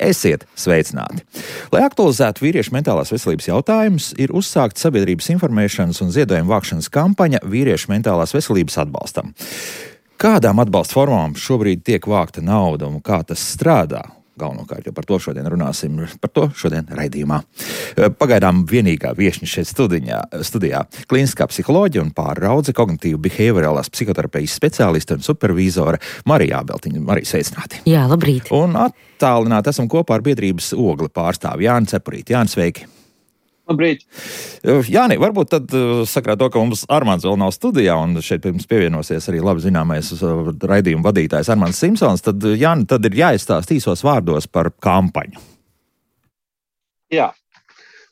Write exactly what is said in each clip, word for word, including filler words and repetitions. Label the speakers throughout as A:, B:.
A: Esiet sveicināti! Lai aktualizētu vīriešu mentālās veselības jautājumus, ir uzsākta sabiedrības informēšanas un ziedojuma vākšanas kampaņa vīriešu mentālās veselības atbalstam. Kādām atbalsta formām šobrīd tiek vākta nauda un kā tas strādā? Galvenokārt, jo par to šodien runāsim, par to šodien raidījumā. Pagaidām vienīgā viešņa šeit studiņā, studijā - klīniskā psiholoģija un pārraudze, kognitīva behaviorālās psihoterapijas speciāliste un supervīzore Marija Ābeltiņa. Marija, sveicināti!
B: Jā, labrīt!
A: Un attālināti esam kopā ar biedrības Ogli pārstāvi Jāni Cepurīti. Jāni, sveiki!
C: Labrīt!
A: Jāni, varbūt tad sakrāt to, ka mums Armands vēl nav studijā, un šeit pirms pievienosies arī labi zināmais raidījuma vadītājs Armands Simpsons, tad Jāni, tad ir jāizstāst īsos vārdos par kampaņu.
C: Jā,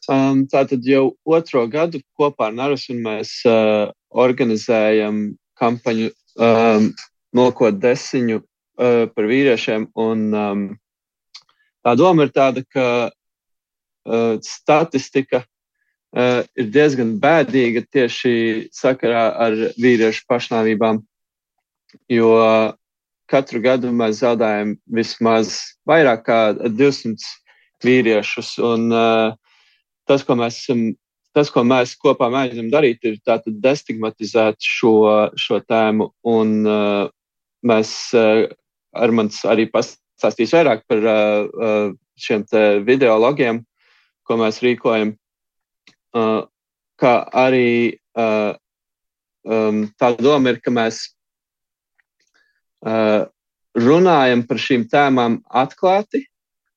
C: um, tātad jau otro gadu kopā ar Narusu mēs uh, organizējam kampaņu um, nokot desiņu uh, par vīriešiem, un um, tā doma ir tāda, ka Uh, statistika uh, ir diezgan bēdīga tieši sakarā ar vīriešu pašnāvībām, jo uh, katru gadu mēs zaudējam vismaz vairāk kā divsimt vīriešus, un uh, tas, ko mēs, tas, ko mēs kopā mēģinām darīt, ir tātad destigmatizēt šo, šo tēmu, un uh, mēs uh, Armands arī pastāstīs vairāk par uh, šiem te videologiem, ko mēs rīkojam, uh, kā arī uh, um, tā doma ir, ka mēs uh, runājam par šīm tēmām atklāti,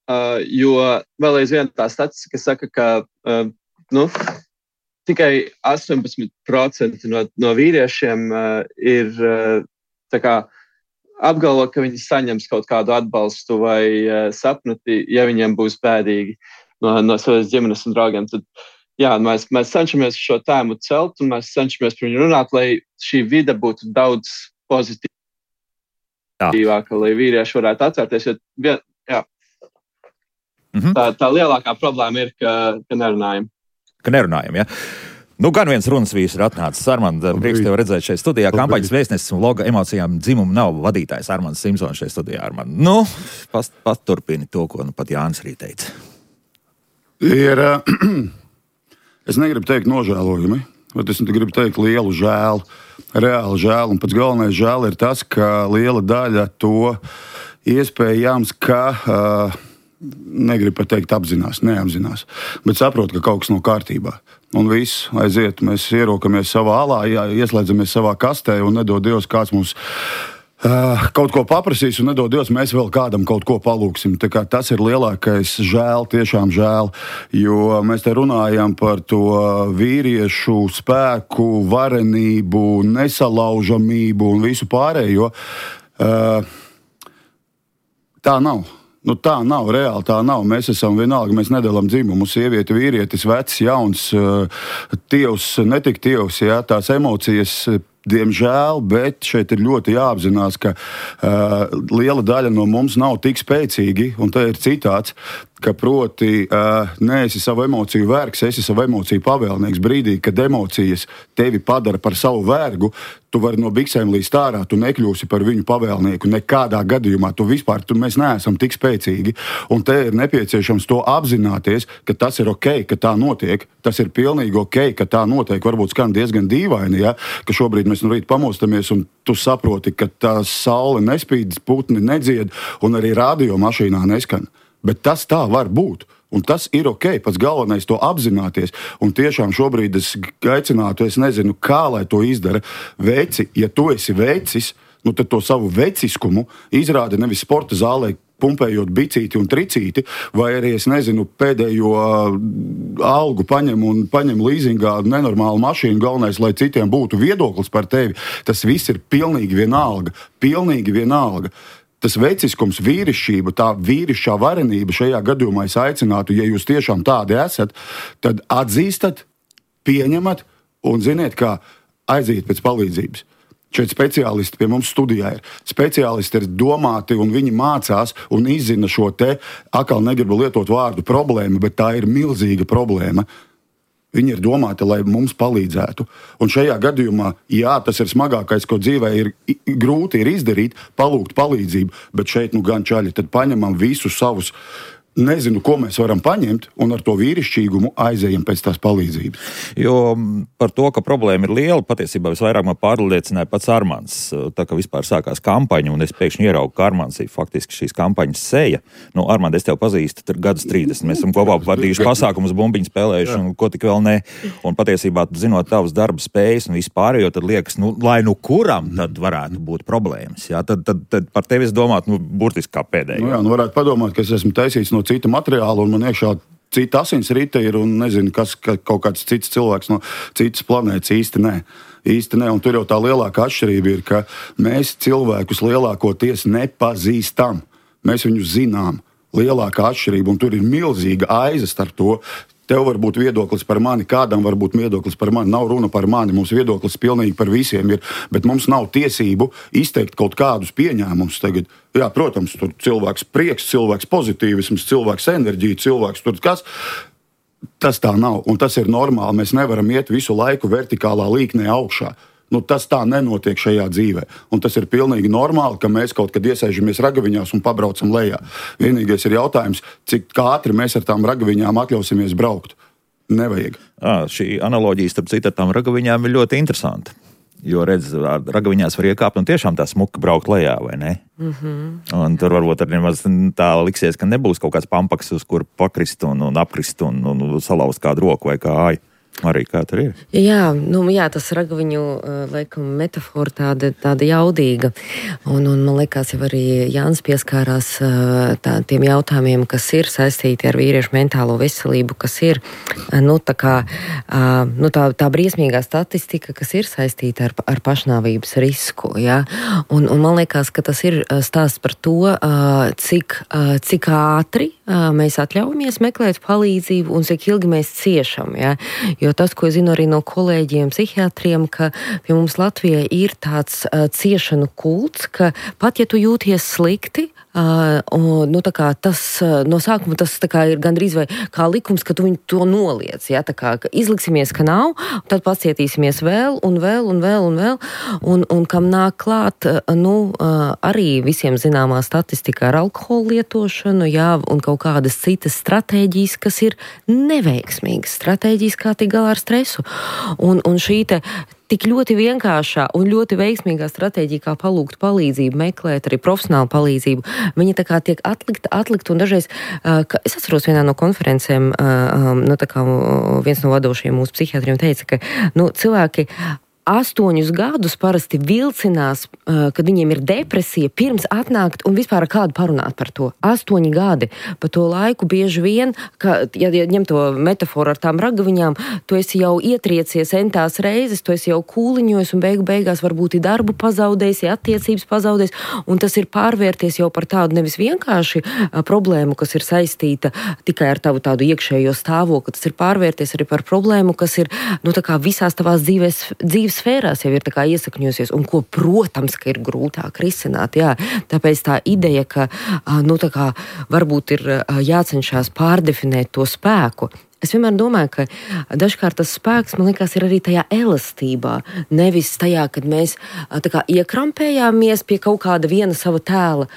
C: uh, jo vēl aizvien tā statistika saka, ka uh, nu, tikai astoņpadsmit procenti no, no vīriešiem uh, ir uh, tā kā apgalvo, ka viņi saņems kaut kādu atbalstu vai uh, sapnoti, ja viņiem būs bēdīgi no, no savas ģimenes un draugiem. Tad, jā, mēs, mēs cenšamies šo tēmu celt un mēs cenšamies par viņu runāt, lai šī vide būtu daudz pozitīvāka, lai vīrieši varētu atvērties. Jo, jā. Mm-hmm. tā, tā lielākā problēma ir, ka, ka nerunājam.
A: Ka nerunājam, jā. Nu, gan viens runas vīrs ir atnācis. Armand, prieks tevi redzēt šeit studijā. Kampaņas vēstnesis un loga emocijām dzimumu nav vadītājs Armands Simpsons šeit studijā. Armand. Nu, pat, pat turpini to, ko nu pat Jānis arī teica.
D: Ir, es negribu teikt nožēlojami, bet es gribu teikt lielu žēlu, reāli žēlu. Un pats galvenais žēl ir tas, ka liela daļa to iespējams, ka, uh, negribu pat teikt apzinās, neapzinās, bet saprot, ka kaut kas nav kārtībā. Un viss aiziet, mēs ierokamies savā alā, jā, ieslēdzamies savā kastē un nedod Dievs, kāds mums Uh, kaut ko paprasīs, un nedod Dievs, mēs vēl kādam kaut ko palūksim. Tā kā tas ir lielākais žēl, tiešām žēl, jo mēs te runājam par to vīriešu spēku, varenību, nesalaužamību un visu pārējo. Uh, tā nav. Nu, tā nav, reāli tā nav. Mēs esam vienalga, mēs nedalām dzimumu. Sieviete, vīrietis, vecs, jauns, tievs, netik tievs, jā, tās emocijas, diemžēl, bet šeit ir ļoti jāapzinās, ka uh, liela daļa no mums nav tik spēcīgi, un tā ir citāts, ka proti uh, neesi savu emociju vergs, esi savu emociju pavēlnieks. Brīdī, kad emocijas tevi padara par savu vergu, tu vari no biksēm līst ārā, tu nekļūsi par viņu pavēlnieku. Nekādā gadījumā tu vispār, tu, mēs neesam tik spēcīgi. Un te ir nepieciešams to apzināties, ka tas ir ok, ka tā notiek. Tas ir pilnīgi ok, ka tā notiek. Varbūt skan diezgan dīvaini, ja? Ka šobrīd mēs no rīta pamostamies un tu saproti, ka tā saule nespīd, putni nedzied un arī radio mašīnā neskan. Bet tas tā var būt. Un tas ir ok, pats galvenais to apzināties. Un tiešām šobrīd es aicinātu, es nezinu, kā lai to izdara. Veci, ja tu esi vecis, nu tad to savu veciskumu izrāda nevis sporta zālē, pumpējot bicīti un tricīti, vai arī, es nezinu, pēdējo algu paņem un paņem līzingā nenormālu mašīnu, galvenais, lai citiem būtu viedoklis par tevi. Tas viss ir pilnīgi vienalga. Pilnīgi vienalga. Tas veciskums, vīrišķība, tā vīrišķā varenība šajā gadījumā es aicinātu, ja jūs tiešām tādi esat, tad atzīstat, pieņemat un ziniet, kā aiziet pēc palīdzības. Šeit speciālisti pie mums studijā ir. Speciālisti ir domāti un viņi mācās un izzina šo te, atkal negribu lietot vārdu problēmu, bet tā ir milzīga problēma. Viņi ir domāti, lai mums palīdzētu. Un šajā gadījumā, jā, tas ir smagākais, ko dzīvē ir grūti ir izdarīt, palūgt palīdzību, bet šeit nu gan čaļi, tad paņemam visus savus nezinu, ko mēs varam paņemt, un ar to vīrišķīgumu aizējam pēc tās palīdzības.
A: Jo par to, ka problēma ir liela, patiesībā visvairāk man pārliecināja pats Armands. Tā kā vispār sākās kampaņa, un es pēkšņi ieraugu, ka Armands ir faktiski šīs kampaņas seja. Nu, Armand, es tev pazīstu gadus trīsdesmit. Mēs esam kopā vadījuši pasākumus, bumbiņas spēlējuši, un ko tik vēl ne. Un patiesībā, zinot tavas darba spējas un vispārējo, tad liekas, nu, lai nu kuram tad varētu būt problēmas. Jā? Tad, tad, tad par tevi es domātu, nu, burtiski kā pēdējo.
D: Nu jā, nu varētu padomāt, ka es esmu taisīts no cita materiāla, un man iekšā cita asinsrite ir, un nezinu, kas ka kaut kāds cits cilvēks no citas planētas īsti nē. Īsti nē, un tur jau tā lielākā atšķirība ir, ka mēs cilvēkus lielākoties nepazīstam. Mēs viņus zinām. Lielākā atšķirība, un tur ir milzīga aiza starp to. Tev var būt viedoklis par mani, kādam var būt viedoklis par mani. Nav runa par mani, mums viedoklis pilnīgi par visiem ir, bet mums nav tiesību izteikt kaut kādus pieņēmumus tagad. Jā, protams, tur cilvēks prieks, cilvēks pozitīvisms, cilvēks enerģija, cilvēks tur kas. Tas tā nav, un tas ir normāli. Mēs nevaram iet visu laiku vertikālā līknē augšā. Nu, tas tā nenotiek šajā dzīvē. Un tas ir pilnīgi normāli, ka mēs kaut kad iesēžamies ragaviņās un pabraucam lejā. Vienīgais ir jautājums, cik ātri mēs ar tām ragaviņām atļausimies braukt. Nevajag.
A: À, šī analoģija starp citu ar tām ragaviņām ir ļoti interesanta. Jo, redz, ragaviņās var iekāpt un tiešām tā smuka braukt lejā, vai ne? Mm-hmm. Un tur varbūt arī nemaz tā liksies, ka nebūs kaut kāds pampaks, uz kur pakrist un, un apkrist un, un salauzt kādu roku vai kāju. Arī kā tur ir?
B: Jā, nu, jā, tas ragaviņu laikam metafora tāda, tāda jaudīga. Un, un man liekas, jau arī Jānis pieskārās tā, tiem jautājumiem, kas ir saistīti ar vīriešu mentālo veselību, kas ir nu, tā, kā, nu, tā, tā briesmīgā statistika, kas ir saistīta ar, ar pašnāvības risku. Ja? Un, un man liekas, ka tas ir stāsts par to, cik, cik ātri mēs atļaujamies meklēt palīdzību un cik ilgi mēs ciešam. Ja? Jo tas, ko es zinu arī no kolēģiem, psihiatriem, ka pie mums Latvijā ir tāds uh, ciešanu kults, ka pat ja tu jūties slikti, uh, un, nu, tā kā tas uh, no sākuma tas tā kā ir gandrīz vai kā likums, ka tu viņu to noliec. Ja? Tā kā ka izliksimies, ka nav, tad pacietīsimies vēl un vēl un vēl un vēl. Un, un kam nāk klāt, uh, nu, uh, arī visiem zināmā statistika ar alkoholu lietošanu, jā, un kaut kādas citas stratēģijas, kas ir neveiksmīgas stratēģijas, kā tik galā ar stresu. Un, un šī te tik ļoti vienkāršā un ļoti veiksmīgā stratēģija, kā palūgt palīdzību, meklēt arī profesionālu palīdzību, viņa tā kā tiek atlikta, atlikta un dažreiz, uh, ka es atceros vienā no konferencēm, uh, um, nu tā kā viens no vadošajiem mūsu psihiatriem teica, ka, nu, cilvēki astoņus gadus parasti vilcinās, uh, kad viņiem ir depresija, pirms atnākt un vispār ar kādu parunāt par to. Astoņi gadi. Pa to laiku bieži vien, ka, ja, ja ņem to metaforu ar tām ragaviņām, tu esi jau ietriecies entās reizes, tu esi jau kūliņojis un beigu beigās varbūt ir darbu pazaudējis, ir attiecības pazaudējis, un tas ir pārvērties jau par tādu nevis vienkārši uh, problēmu, kas ir saistīta tikai ar tavu tādu iekšējo stāvokli, tas ir pārvērties arī par problēmu, kas ir, nu, tā kā visās tavās dzīves, dzīves sfērās jau ir tā kā iesakņosies, un ko, protams, ka ir grūtāk risināt, jā. Tāpēc tā ideja, ka, nu, tā kā varbūt ir jācenšas pārdefinēt to spēku. Es vienmēr domāju, ka dažkārt tas spēks, man liekas, ir arī tajā elastībā, nevis tajā, kad mēs tā kā iekrampējāmies pie kaut kāda viena sava tēla.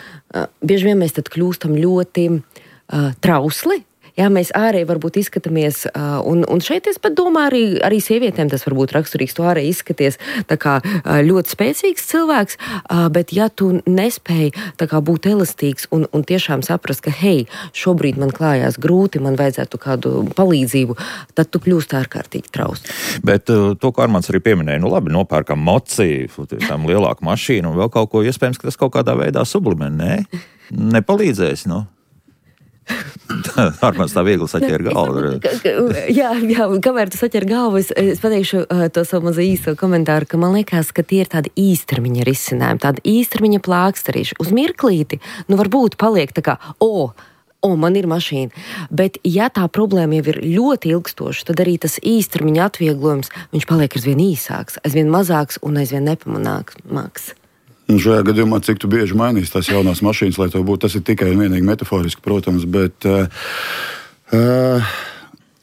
B: Bieži vien mēs tad kļūstam ļoti uh, trausli. Jā, mēs ārēji varbūt izskatāmies, un, un šeit es pat domāju, arī, arī sievietēm tas varbūt raksturīgs, tu ārēji izskaties tā kā ļoti spēcīgs cilvēks, bet ja tu nespēji tā kā būt elastīgs un, un tiešām saprast, ka hei, šobrīd man klājās grūti, man vajadzētu kādu palīdzību, tad tu kļūst ārkārtīgi trausls.
A: Bet to, ko Armands arī pieminēja, nu labi, nopērkam moci, tam lielāku mašīnu un vēl kaut ko, iespējams, ka tas kaut kādā veidā sublimē, nē? Nepalīdzēs, nu? Armands tā viegli saķēra galvu.
B: Jā, jā, kamēr tu saķēri galvu, es, es pateikšu uh, to savu mazu īsto komentāru, ka man liekas, ka tie ir tādi īstermiņa risinājumi, tādi īstermiņa plākstarīši. Uz mirklīti, nu varbūt paliek tā kā, o, o, man ir mašīna. Bet ja tā problēma jau ir ļoti ilgstoša, tad arī tas īstermiņa atvieglojums, viņš paliek aizvien īsāks, aizvien mazāks un aizvien nepamanāks.
D: Un šajā gadījumā, cik tu bieži mainīsi tās jaunās mašīnas, lai to būtu, tas ir tikai un vienīgi metaforiski, protams, bet uh, uh,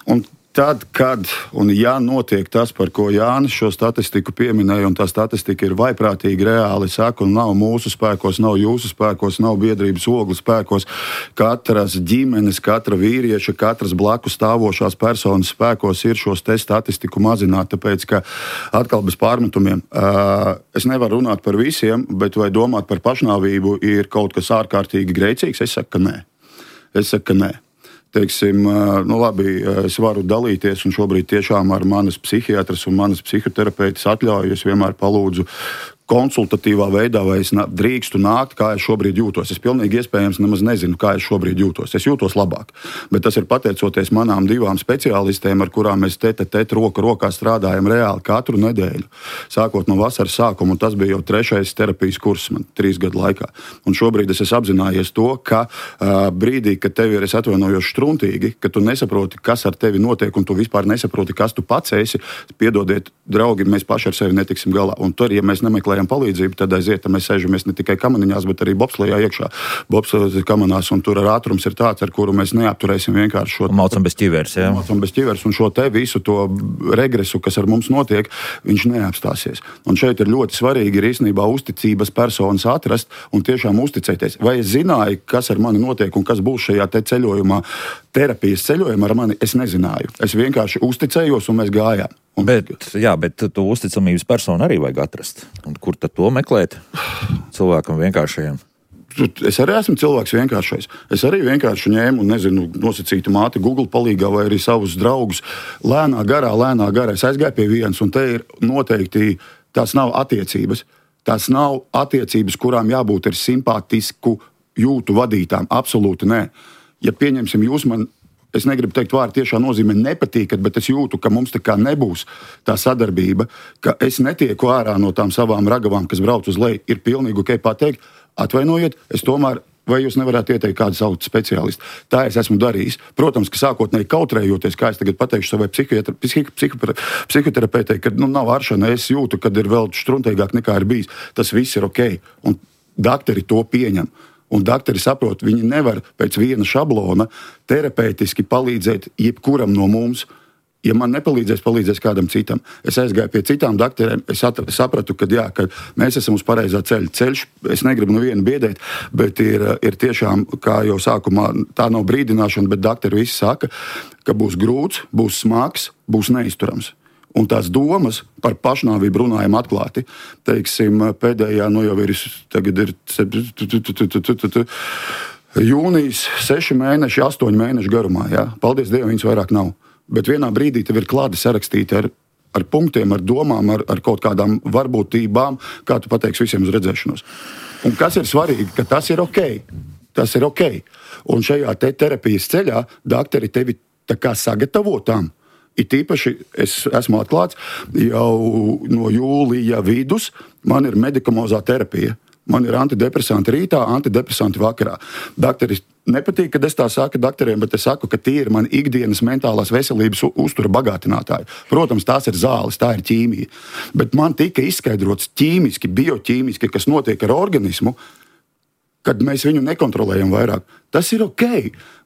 D: un Tad, kad un ja notiek tas, par ko Jānis šo statistiku pieminēja, un tā statistika ir vaiprātīgi reāli, saku, nav mūsu spēkos, nav jūsu spēkos, nav biedrības ogles spēkos, katras ģimenes, katra vīrieša, katras blakus stāvošās personas spēkos ir šos te statistiku mazināt, tāpēc, ka atkal bez pārmetumiem. Es nevaru runāt par visiem, bet vai domāt par pašnāvību ir kaut kas ārkārtīgi grēcīgs? Es saku, ka nē. Es saku, ka nē. Teiksim, nu labi, es varu dalīties, un šobrīd tiešām ar manas psihiatras un manas psihoterapeitas atļauju es vienmēr palūdzu konsultatīvā veidā, vai es drīkstu nākt, kā es šobrīd jūtos. Es pilnīgi iespējams nemaz nezinu, kā es šobrīd jūtos. Es jūtos labāk, bet tas ir pateicoties manām divām speciālistēm, ar kurām mēs tete tete roku rokā strādājam reāli katru nedēļu, sākot no vasaras sākuma, un tas bija jau trešais terapijas kurs man trīs gadu laikā. Un šobrīd es esmu apzinājies to, ka uh, brīdī, kad tev ir, es atvainojos, štruntīgi, ka tu nesaproti, kas ar tevi notiek, un tu vispār nesaproti, kas tu pats esi, piedodiet, draugi, mēs paši ar sevi netiksim galā. Un tur, ja mēs nemeklējam palīdzību, tad aiziet, mēs sēžamies ne tikai kamaniņās, bet arī bobslejā iekšā. Bobslejā kamanās, un tur ar ātrums ir tāds, ar kuru mēs neapturēsim vienkārši šo...
A: Maucam bez ķivers, jā.
D: Maucam bez ķivers, un šo te visu to regresu, kas ar mums notiek, viņš neapstāsies. Un šeit ir ļoti svarīgi ir īstenībā uzticības personas atrast un tiešām uzticēties. Vai es zināju, kas ar mani notiek un kas būs šajā te ceļojumā, terapijas ceļojumā ar mani, es nezināju. Es vienkārši uzticējos un mēs gājām. Un...
A: Bet, jā, bet tu uzticamības personu arī vajag atrast. Un kur tad to meklēt? Cilvēkam vienkāršajiem.
D: Es arī esmu cilvēks vienkāršais. Es arī vienkārši ņēmu un, nezinu, nosacītu māti Google palīgā vai arī savus draugus. Lēnā garā, lēnā garā. Es aizgāju pie vienas, un te ir noteikti, tās nav attiecības. Tās nav attiecības, kurām jābūt ir simpātisku jūtu vadītām. Absolūti nē. Ja pieņemsim jūs man... Es negribu teikt vārdu tiešā nozīmē nepatīkat, bet es jūtu, ka mums tā kā nebūs tā sadarbība, ka es netieku ārā no tām savām ragavām, kas brauc uz leju. Ir pilnīgi ok pateikt, atvainojiet, es tomēr, vai jūs nevarētu ieteikt kādu savu speciālistu. Tā es esmu darījis. Protams, ka sākotnēji kautrējoties, kā es tagad pateikšu savai psihoterapeitei, ka nu, nav aršana, es jūtu, kad ir vēl štruntīgāk nekā ir bijis. Tas viss ir ok. Un dakteri to pieņem. Un dakteri saprot, viņi nevar pēc viena šablona terapeitiski palīdzēt jebkuram no mums. Ja man nepalīdzēs, palīdzēs kādam citam. Es aizgāju pie citām dakterēm, es sapratu, ka, jā, ka mēs esam uz pareizā ceļa. Ceļš, es negribu nevienu biedēt, bet ir, ir tiešām, kā jau sākumā, tā nav brīdināšana, bet dakteri visi saka, ka būs grūts, būs smags, būs neizturams. Un tās domas par pašnāvību runājam atklāti. Teiksim, pēdējā, nu jau ir, tagad ir jūnijas, seši mēneši, astoņi mēneši garumā. Jā. Paldies Dievam, viņas vairāk nav. Bet vienā brīdī tev ir klāti sarakstīti ar, ar punktiem, ar domām, ar, ar kaut kādām varbūtībām, kā tu pateiksi visiem uz redzēšanos. Un kas ir svarīgi, ka tas ir ok. Tas ir ok. Un šajā te terapijas ceļā dakteri tevi tā kā sagatavotām. It īpaši es esmu atklāts, jau no jūlija vidus man ir medikamozā terapija. Man ir antidepresanti rītā, antidepresanti vakarā. Dakteri nepatīk, kad es tā saku dakteriem, bet es saku, ka tie ir mani ikdienas mentālās veselības uztura bagātinātāji. Protams, tās ir zāles, tā ir ķīmija. Bet man tika izskaidrots ķīmiski, bioķīmiski, kas notiek ar organismu, kad mēs viņu nekontrolējam vairāk. Tas ir ok.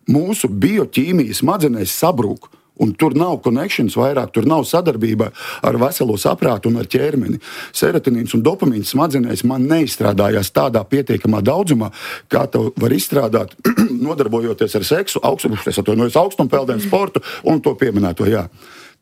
D: Mūsu bioķīmija smadzenēs sabrūk. Un tur nav connections vairāk, tur nav sadarbība ar veselo saprātu un ar ķermeni. Serotonīns un dopamīns smadzenēs man neizstrādājās tādā pietiekamā daudzumā, kā to var izstrādāt, nodarbojoties ar seksu, augstumpeldienu sportu un to pieminēto. Jā.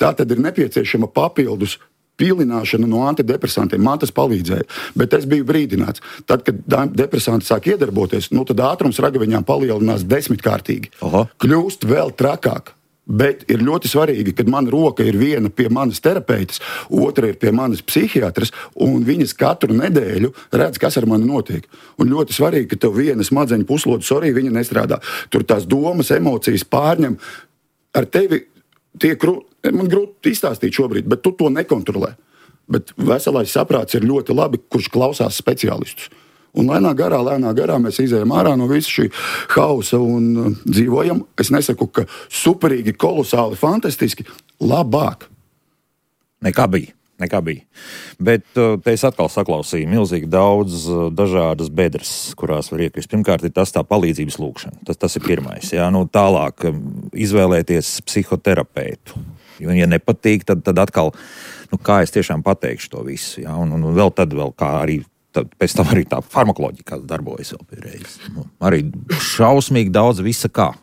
D: Tā tad ir nepieciešama papildus pīlināšana no antidepresantiem. Man tas palīdzēja, bet es biju brīdināts. Tad, kad depresanti sāk iedarboties, nu tad ātrums ragaviņām palielinās desmitkārtīgi. Aha. Kļūst vēl trakāk. Bet ir ļoti svarīgi, kad mana roka ir viena pie manas terapeitas, otra ir pie manas psihiatras, un viņas katru nedēļu redz, kas ar mani notiek. Un ļoti svarīgi, ka tev viena smadzeņu puslode, sorry, viņa nestrādā. Tur tās domas, emocijas pārņem. Ar tevi tiek, man grūti izstāstīt šobrīd, bet tu to nekontrolē. Bet veselais saprāts ir ļoti labi, kurš klausās speciālistus. Un lēnā garā, lēnā garā mēs izējam ārā no visa šī hausa un uh, dzīvojam. Es nesaku, ka superīgi, kolosāli, fantastiski, labāk.
A: Nekā bija, nekā bija. Bet uh, te es atkal saklausīju milzīgi daudz uh, dažādas bedres, kurās var iekrist. Pirmkārt ir tas tā palīdzības lūgšana. Tas, tas ir pirmais. Jā? Nu, tālāk um, izvēlēties psihoterapeitu. ja nepatīk, tad, tad atkal, nu, kā es tiešām pateikšu to visu, ja? un, un vēl tad vēl kā arī, tad pēc tam arī tā farmakoloģija darbojas vēl pie reizes. Nu, arī šausmīgi daudz visa kā.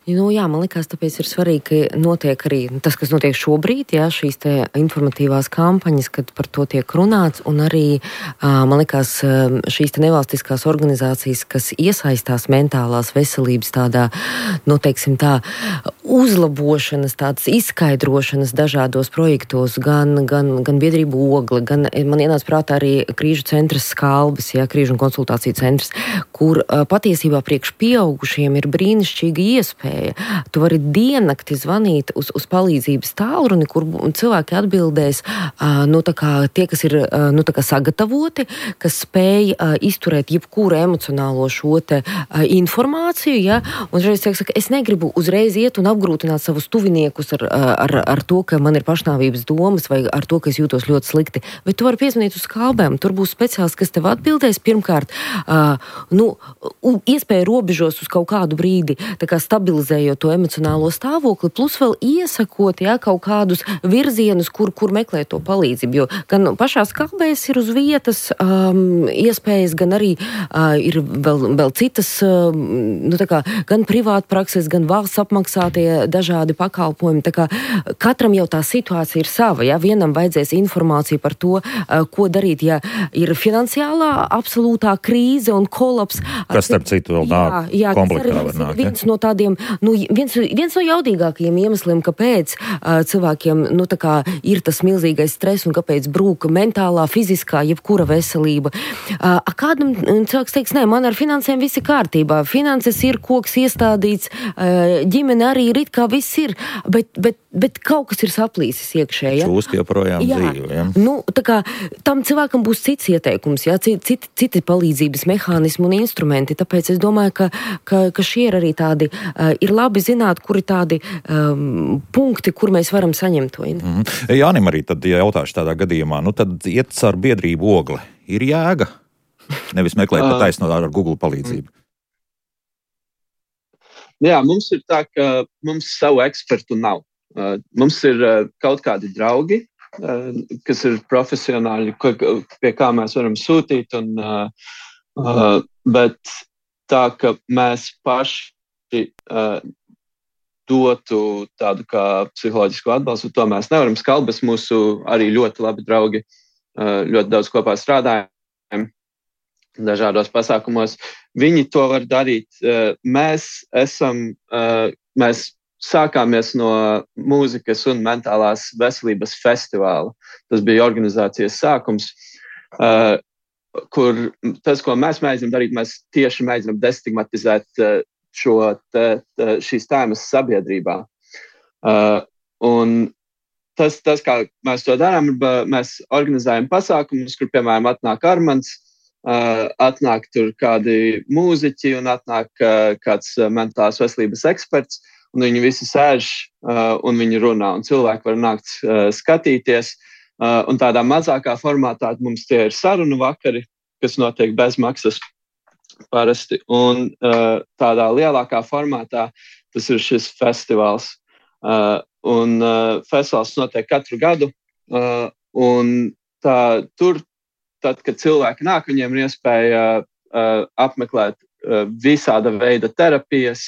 B: Nu, jā, man liekas, tāpēc ir svarīgi, ka notiek arī tas, kas notiek šobrīd, jā, šīs te informatīvās kampaņas, kad par to tiek runāts, un arī, man liekas, šīs te nevalstiskās organizācijas, kas iesaistās mentālās veselības tādā, nu, teiksim tā, uzlabošanas, tādas izskaidrošanas dažādos projektos, gan, gan, gan biedrību Ogle, gan, man ienāca prātā arī Krīžu centrs Skalbes, jā, Krīžu un konsultāciju centrs, kur patiesībā priekš pieaugušiem ir brīnišķīga iespēja. Tu vari diennakti zvanīt uz, uz palīdzības tālruni, kur cilvēki atbildēs, nu, tā kā tie, kas ir nu, tā kā sagatavoti, kas spēj izturēt jebkuru emocionālo šo te informāciju, ja? Un reiz tiek saka, es negribu uzreiz iet un apgrūtināt savus tuviniekus ar, ar, ar to, ka man ir pašnāvības domas vai ar to, ka es jūtos ļoti slikti. Bet tu vari piezvanīt uz Skalbēm, tur būs speciālists, kas tev atbildēs pirmkārt, nu, iespēja robežos uz kaut kādu brīdi, tā kā stabilizēt stabilizējot to emocionālo stāvokli, plus vēl iesakot, jā, kaut kādus virzienus, kur, kur meklēt to palīdzību. Jo gan pašā Skalbēs ir uz vietas um, iespējas, gan arī uh, ir vēl, vēl citas, uh, nu, tā kā, gan privātprakses, gan valsts apmaksātie dažādi pakalpojumi. Tā kā katram jau tā situācija ir sava. Jā. Vienam vajadzēs informāciju par to, uh, ko darīt, ja ir finansiālā absolūtā krīze un kolaps.
A: Kas, starp citu, vēl nāk komplektā var nākt.
B: Viens no tādiem, nu, viens, viens no jaudīgākajiem iemesliem, kāpēc uh, cilvēkiem, nu, tā kā ir tas milzīgais stress un kāpēc brūka mentālā, fiziskā, jebkura veselība. Uh, kādam cilvēks teiks, nē, man ar finansēm viss ir kārtībā. Finanses ir, koks iestādīts, uh, ģimene arī ir, it kā viss ir, bet, bet, bet kaut kas ir saplīsis iekšē. Ja?
A: Čūski joprojām dzīvo. Ja?
B: Nu, tā kā tam cilvēkam būs cits ieteikums, ja? citi, citi palīdzības mehānismi un instrumenti. Tāpēc es domāju, ka, ka, ka šie ir arī tādi, uh, ir labi zināt, kur ir tādi um, punkti, kur mēs varam saņemt to.
A: Mm. Jānim arī tad, ja jautāšu tādā gadījumā, nu tad iet ar biedrību Ogle. Ir jēga? Nevis meklēt pa taisno ar Google palīdzību.
C: Jā, mums ir tā, ka mums savu ekspertu nav. Uh, mums ir uh, kaut kādi draugi, uh, kas ir profesionāļi, ko, pie kā mēs varam sūtīt, un, uh, uh, bet tā, ka mēs paši uh, dotu tādu kā psiholoģisku atbalstu, to mēs nevaram. Skalbes mūsu arī ļoti labi draugi, uh, ļoti daudz kopā strādājam dažādos pasākumos. Viņi to var darīt. Uh, mēs esam, uh, mēs sākāmies no mūzikas un mentālās veselības festivāla. Tas bija organizācijas sākums, uh, kur tas, ko mēs mēģinām darīt, mēs tieši mēģinām destigmatizēt uh, šo te, te, šīs tēmas sabiedrībā. Uh, un tas, tas, kā mēs to darām, mēs organizējam pasākumus, kur, piemēram, atnāk Armands, uh, atnāk tur kādi mūziķi un atnāk uh, kāds mentālās veselības eksperts, un viņi visi sēž uh, un viņi runā, un cilvēki var nākt uh, skatīties. Uh, un tādā mazākā formātā mums tie ir sarunu vakari, kas notiek bez maksas parasti. Un uh, tādā lielākā formātā tas ir šis festivāls. Uh, un uh, festivāls notiek katru gadu. Uh, un tā, tur, tad, kad cilvēki nāk, viņiem ir iespēja uh, apmeklēt uh, visāda veida terapijas,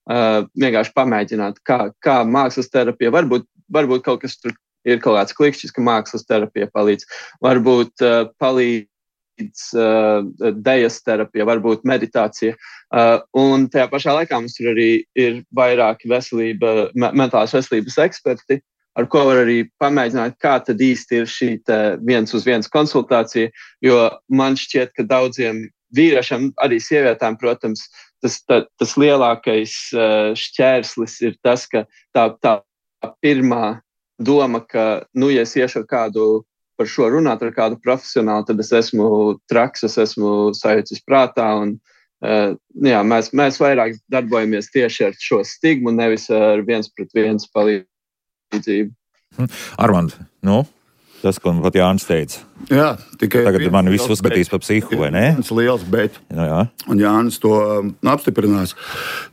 C: Uh, vienkārši pamēģināt, kā, kā mākslas terapija. Varbūt, varbūt kaut kas tur ir kaut kāds klikšķis, ka mākslas terapija palīdz. Varbūt uh, palīdz uh, dejas terapija, varbūt meditācija. Uh, un tajā pašā laikā mums tur arī ir vairāki veselība, me, mentālās veselības eksperti, ar ko var arī pamēģināt, kā tad īsti ir šī viens uz viens konsultācija. Jo man šķiet, ka daudziem vīriešiem, arī sievietēm, protams, Tas, tā, tas lielākais uh, šķērslis ir tas, ka tā, tā pirmā doma, ka, nu, ja es iešu ar kādu par šo runāt, ar kādu profesionālu, tad es esmu traks, es esmu sajūcis prātā. Un, uh, jā, mēs, mēs vairāk darbojamies tieši ar šo stigmu, nevis ar viens pret viens palīdzību.
A: Armand, nu? Tas, ko pat Jānis teica.
D: Jā, tikai
A: tagad man viss uzskatīs par psihu, vai ne?
D: Tas liels bet.
A: No, jā.
D: Un Jānis to apstiprinās,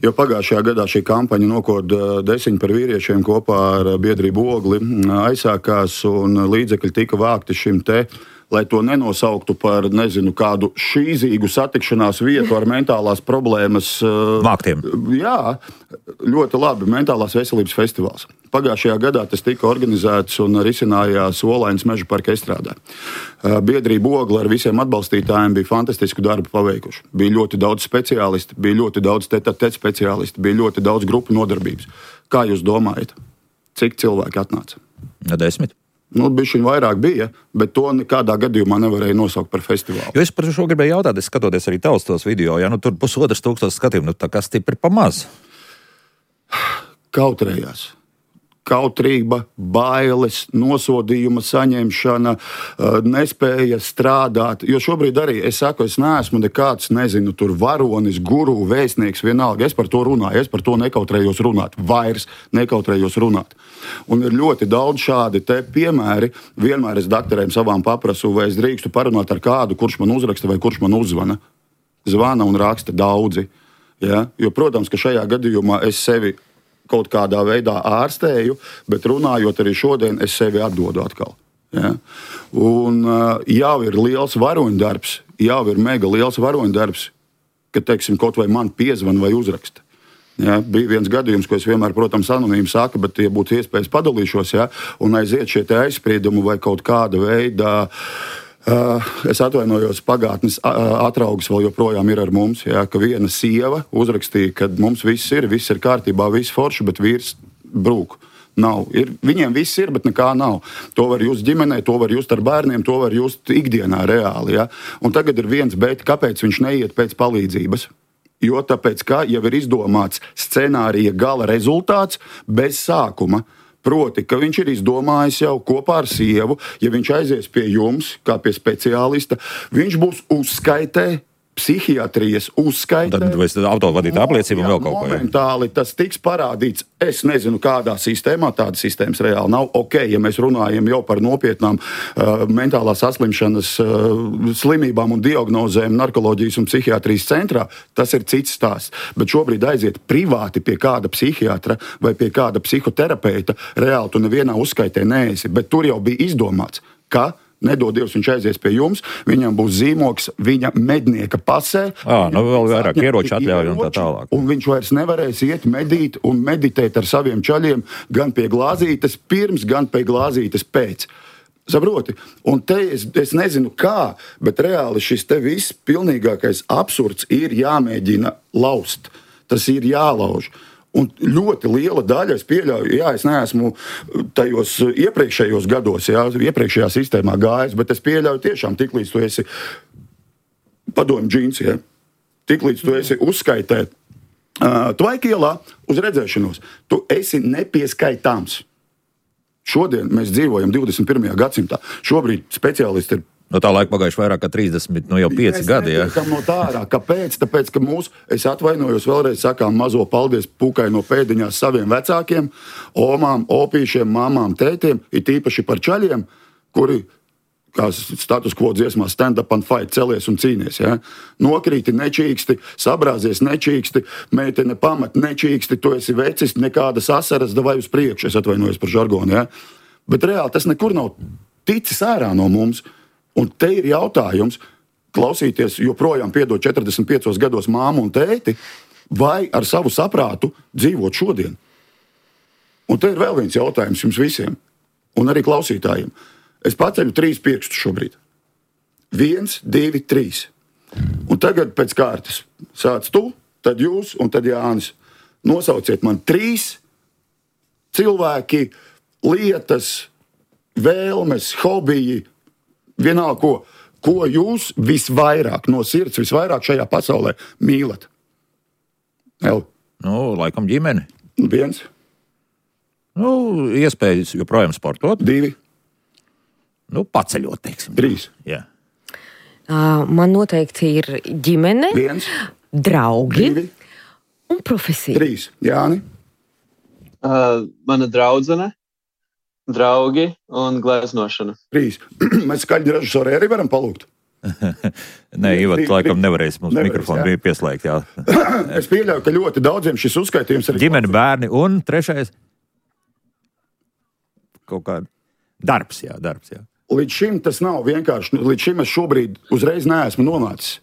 D: jo pagājušajā gadā šī kampaņa Nokod desiņu par vīriešiem kopā ar biedrību Ogli aizsākās un līdzekļi tika vākti šim te, lai to nenosauktu par, nezinu, kādu šīzīgu satikšanās vietu ar mentālās problēmas.
A: Vāktiem.
D: Jā, ļoti labi, mentālās veselības festivāls. Pagājušajā gadā tas tika organizēts un risinājās Olainas meža parka Estrādē. Biedrība Ogla ar visiem atbalstītājiem bija fantastisku darbu paveikuši. Bija ļoti daudz speciālisti, bija ļoti daudz tete-a-tete speciālisti, bija ļoti daudz grupu nodarbības. Kā jūs domājat, cik cilvēki atnāca?
A: No desmit.
D: Nu, bišķiņ vairāk bija, bet to nekādā gadījumā nevarēja nosaukt par festivālu.
A: Jo es par šo gribēju jautāt, es skatoties arī tavs tos video, ja nu tur pusotras tūkstoši skatījumu, nu tā kā stipri pa maz.
D: Kautrējās. Kautrība, bailes, nosodījuma saņemšana, nespēja strādāt. Jo šobrīd arī es saku, es neesmu nekāds, nezinu, tur varonis, guru, vēstnieks, vienalga. Es par to runāju, es par to nekautrējos runāt. Vairs nekautrējos runāt. Un ir ļoti daudz šādi te piemēri. Vienmēr es daktariem savām paprasu, vai es drīkstu parunāt ar kādu, kurš man uzraksta vai kurš man uzzvana. Zvana un raksta daudzi. Ja? Jo, protams, ka šajā gadījumā es sevi kaut kādā veidā ārstēju, bet runājot arī šodien, es sevi atdodu atkal. Ja? Un uh, jau ir liels varoņdarbs, jau ir mega liels varoņdarbs, ka, teiksim, kaut vai man piezvan vai uzraksta. Ja? Bija viens gadījums, ko es vienmēr, protams, anonīmi saku, bet, ja būtu iespējas, padalīšos, ja? Un aiziet šie te aizspriedumi vai kaut kāda veida. Uh, es atvainojos, pagātnes uh, atraugs vēl joprojām ir ar mums, jā, ka viena sieva uzrakstīja, ka mums viss ir, viss ir kārtībā, viss forši, bet vīrs brūk. Nav. Ir, viņiem viss ir, bet nekā nav. To var just ģimenē, to var just ar bērniem, to var just ikdienā reāli. Jā. Un tagad ir viens, bet kāpēc viņš neiet pēc palīdzības? Jo tāpēc, ka jau ir izdomāts scenārija gala rezultāts bez sākuma. Proti, ka viņš ir izdomājis jau kopā ar sievu, ja viņš aizies pie jums, kā pie speciālista, viņš būs uzskaitē, psihiatrijas uzskaitē.
A: Tad vai autovadītā apliecība un vēl kaut ko.
D: Momentāli tas tiks parādīts, es nezinu, kādā sistēmā, tādas sistēmas reāli nav. Ok, ja mēs runājam jau par nopietnām uh, mentālās saslimšanas uh, slimībām un diagnozēm narkoloģijas un psihiatrijas centrā, tas ir cits stāsts. Bet šobrīd aiziet privāti pie kāda psihiatra vai pie kāda psihoterapeita, reāli tu nevienā uzskaitē neesi, bet tur jau bija izdomāts, ka nedod Dievs, viņš aizies pie jums, viņam būs zīmoks viņa mednieka pasē.
A: Ā, nu vēl vairāk ieroču atļauj un tā tālāk.
D: Un viņš vairs nevarēs iet medīt un meditēt ar saviem čaļiem gan pie glāzītes pirms, gan pie glāzītes pēc. Saproti? Un te es, es nezinu kā, bet reāli šis te viss pilnīgākais absurds ir jāmēģina laust. Tas ir jālauž. Un ļoti liela daļa, es pieļauju, jā, es neesmu tajos iepriekšējos gados, jā, iepriekšējā sistēmā gājis, bet es pieļauju tiešām, tiklīdz tu esi padomju džins, jā, tiklīdz tu esi uzskaitē uh, Tvaikielā uz redzēšanos, tu esi nepieskaitāms. Šodien mēs dzīvojam divdesmit pirmajā gadsimtā. Šobrīd speciālisti ir
A: no tā laika pagājuši vairāk kā trīsdesmit, nu jau pieci gadi. Ja?
D: No tā ārā. Kāpēc? Tāpēc, ka mūs, es atvainojos vēlreiz, sakām mazo paldies pukai no pēdiņās saviem vecākiem, omām, opīšiem, mamām, tētiem, it īpaši par čaļiem, kuri, kā status quo dziesmā, stand up and fight, celies un cīnies. Ja? Nokrīti nečīksti, sabrāzies nečīksti, meitene pamat nečīksti, tu esi vecis, nekādas asaras, davai uz priekšu, es atvainojos par žargonu. Ja? Bet reāli tas nekur nav ticis ārā no mums. Un te ir jautājums, klausīties joprojām piedod četrdesmit piecos gados māmu un tēti, vai ar savu saprātu dzīvot šodien. Un te ir vēl viens jautājums jums visiem, un arī klausītājiem. Es paceļu trīs pirkstus šobrīd. Viens, divi, trīs. Un tagad pēc kārtas sāc tu, tad jūs un tad Jānis. Nosauciet man trīs cilvēki, lietas, vēlmes, hobiji, vienalga, ko, ko jūs visvairāk no sirds, visvairāk šajā pasaulē mīlat? El?
A: Nu, laikam ģimeni.
D: Viens.
A: Nu, iespējas joprojām sportot.
D: Divi.
A: Nu, paceļot, teiksim.
D: Trīs.
A: Jā.
B: Uh, man noteikti ir ģimene,
D: Viens.
B: draugi
D: Divi.
B: un profesija.
D: Trīs. Jāni.
C: Uh, mana draudzene. draugi un gleznošana.
D: Trīs. Mēs skaļi režisori arī varam palūgt.
A: Nē, Ivat, laikam nevarēs mums nevarēs, mikrofonu jā. Pieslēgt, jā.
D: Es pieļauju, ka ļoti daudziem šis uzskaitījums ir...
A: Ģimene, bērni un trešais kaut kā darbs, jā, darbs, jā.
D: Līdz šim tas nav vienkārši, līdz šim es šobrīd uzreiz neesmu nonācis.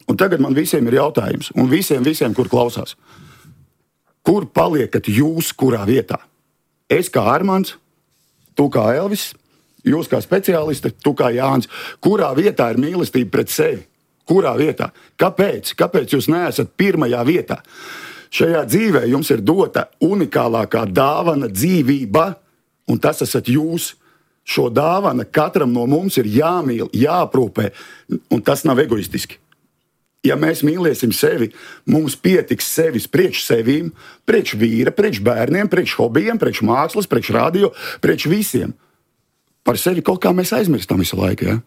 D: Un tagad man visiem ir jautājums, un visiem, visiem, kur klausās. Kur paliekat jūs, kurā vietā? Es kā Armands, tu kā Elvis, jūs kā speciālisti, tu kā Jānis, kurā vietā ir mīlestība pret sevi? Kurā vietā? Kāpēc? Kāpēc jūs neesat pirmajā vietā? Šajā dzīvē jums ir dota unikālākā dāvana dzīvība, un tas esat jūs. Šo dāvana katram no mums ir jāmīl, jāaprūpē, un tas nav egoistiski. Ja mēs mīlēsim sevi, mums pietiks sevis priekš sevīm, priekš vīra, priekš bērniem, priekš hobijiem, priekš mākslas, priekš radio, priekš visiem. Par sevi kaut kā mēs aizmirstam visu laiku, ja?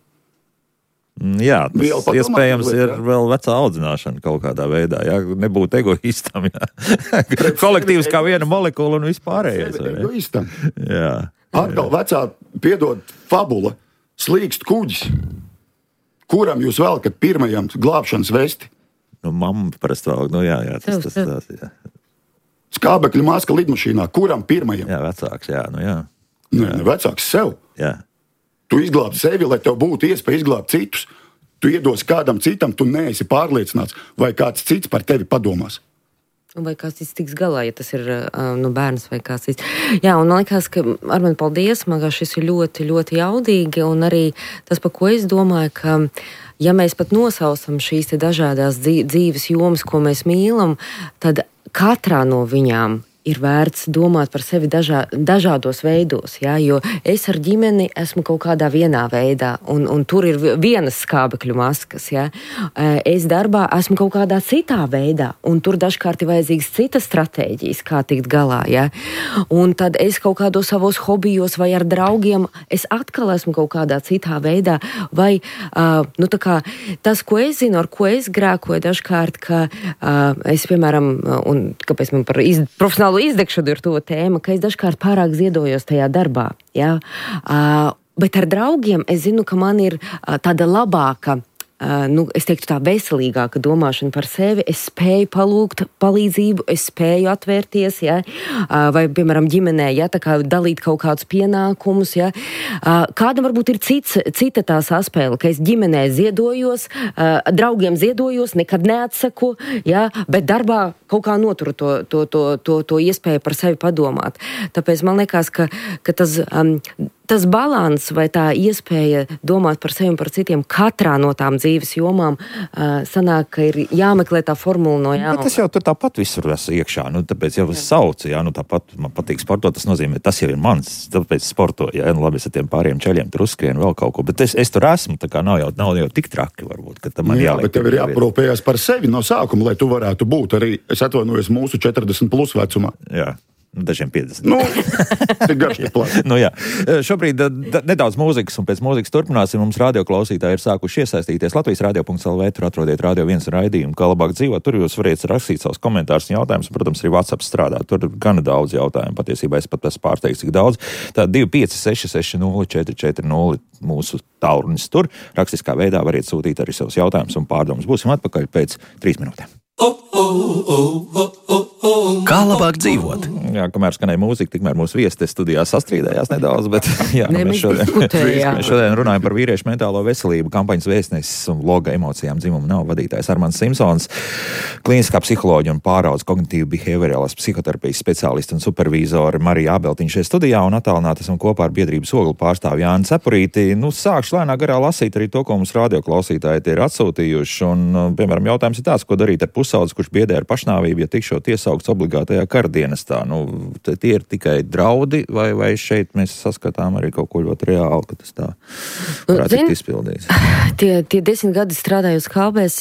A: Jā, tas iespējams ir jā. Vēl vecā audzināšana kaut kādā veidā, jā, nebūt egoistam, jā. Kolektīvs kā viena molekula un vispārējais.
D: Egoistam.
A: Jā.
D: Atkal vecā, piedod, fabula, slīkst kuģis, kuram jūs velkat pirmajam glābšanas vesti?
A: Nu, mamma parasti vēl, nu jā, jā, tas, tas, tas, jā.
D: Skābekļa maska lidmašīnā, kuram pirmajam?
A: Jā, vecāks, jā, nu jā.
D: Nē, ne, vecāks sev.
A: Jā.
D: Tu izglābi sevi, lai tev būtu iespēja izglābt citus. Tu iedos kādam citam, tu neesi pārliecināts, vai kāds cits par tevi padomās.
B: Vai kāds cits tiks galā, ja tas ir nu, bērns vai kāds cits. Jā, un man liekas, ka ar mani paldies, man liekas, šis ir ļoti, ļoti jaudīgi, un arī tas, par ko es domāju, ka ja mēs pat nosaucam šīs te dažādās dzīves jomas, ko mēs mīlam, tad katrā no viņām ir vērts domāt par sevi dažā, dažādos veidos, jā, jo es ar ģimeni esmu kaut kādā vienā veidā, un, un tur ir vienas skābekļu maskas, jā. Es darbā esmu kaut kādā citā veidā, un tur dažkārt ir vajadzīgas citas stratēģijas, kā tikt galā, jā. Un tad es kaut kādos savos hobijos vai ar draugiem, es atkal esmu kaut kādā citā veidā, vai, uh, nu tā kā, tas, ko es zinu, ar ko es grēkoju dažkārt, ka uh, es, piemēram, un kāpēc man par iz, profesionālu izdegšanu ir to tēma, ka es dažkārt pārāk ziedojos tajā darbā. Ja? Uh, bet ar draugiem es zinu, ka man ir uh, tāda labāka, uh, nu, es teiktu tā veselīgāka domāšana par sevi. Es spēju palūgt palīdzību, es spēju atvērties, ja? uh, vai, piemēram, ģimenē, ja? Tā kā dalīt kaut kādus pienākumus. Ja? Uh, kādam varbūt ir cits, cita tā saspēle, ka es ģimenē ziedojos, uh, draugiem ziedojos, nekad neatsaku, ja? Bet darbā kaut kā noturu to, to, to, to, to iespēju par sevi padomāt. Tāpēc man liekas, ka, ka tas, um, tas balans vai tā iespēja domāt par sevi un par citiem katrā no tām dzīves jomām uh, sanāk, ka ir jāmeklē tā formula no jauna.
A: Bet tas jau tur tāpat visur esmu iekšā, nu tāpēc jau es saucu, jā, nu tāpat man patīk sportot, tas nozīmē, tas jau ir mans, tāpēc sportoju, jā, nu labi, es ar tiem pāriem ceļiem tur uzskrienu vēl kaut ko, bet es, es tur esmu, tā kā nav jau, nav jau tik traki varbūt, ka tam man
D: jā,
A: jāliek.
D: Bet tev ir jāprūpējas par sevi no sākuma, lai tu varētu būt arī, es atvainojos mūsu četrdesmit plus vecumā.
A: Jā. Dažiem piecdesmit.
D: Nu, tik garš ir plats.
A: Nu, jā. Šobrīd da, nedaudz mūzikas, un pēc mūzikas turpināsim. Mums radioklausītāji ir sākuši iesaistīties Latvijas radio punkt el vē, tur atrodiet Radio viens raidījumu, kā labāk dzīvot. Tur jūs varat rakstīt savus komentārus un jautājumus, un, protams, arī WhatsApp strādā. Tur ir gana daudz jautājumu. Patiesībā es pat esmu pārsteigts, cik daudz. Tā divi pieci seši seši nulle četri četri nulle mūsu tālrunis tur. Rakstiskā veidā variet sūtīt arī savus jautājumus un pārdomus. Būsim atpakaļ pēc trīs minūtēm.
E: Kā labāk dzīvot?
A: Jā, kamēr skanēja mūzika, tikmēr mūsu viesi te studijā sastrīdējās nedaudz, bet jā,
B: ne,
A: mēs, šodien, mēs šodien runājam par vīriešu mentālo veselību, kampaņas vēstnesis un loga emocijām dzimumu nav vadītājs Armands Simpsons, klīniskā psiholoģija un pāraudzes kognitīva behaviorālās psihoterapijas speciālisti un supervīzori Marija Ābeltiņa šajā studijā un attālināti esam kopā ar biedrības ogli pārstāvi Jāni Cepurīti. Nu, sākšu lēnā garā lasīt arī to, ko mums radioklausītāji ir atsūtījuši. Un, piemēram, jautājums ir tāds, ko darīt ar pusaudzi, kurš biedē ar pašnāvību, ja tikšot iesaukts obligātajā karadienestā. Nu, tie ir tikai draudi, vai, vai šeit mēs saskatām arī kaut ko ļoti reāli, ka tas tā varētu tikt izpildīts?
B: Tie, tie desmit gadi strādājot Skābēs,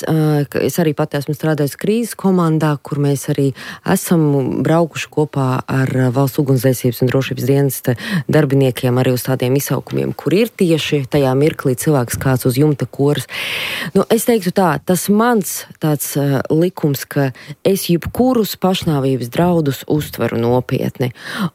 B: es arī pat esmu strādājis krīzes komandā, kur mēs arī esam braukuši kopā ar Valsts ugunsdzēsības un drošības dienesta darbiniekiem arī uz tādiem izsaukumiem, kur ir tieši tajā mirklī cilvēks kāds uz jumta koras. Nu, es teiktu tā, tas mans tāds uh, likums, ka es jebkurus pašnāvības draudus uztveru nopietni.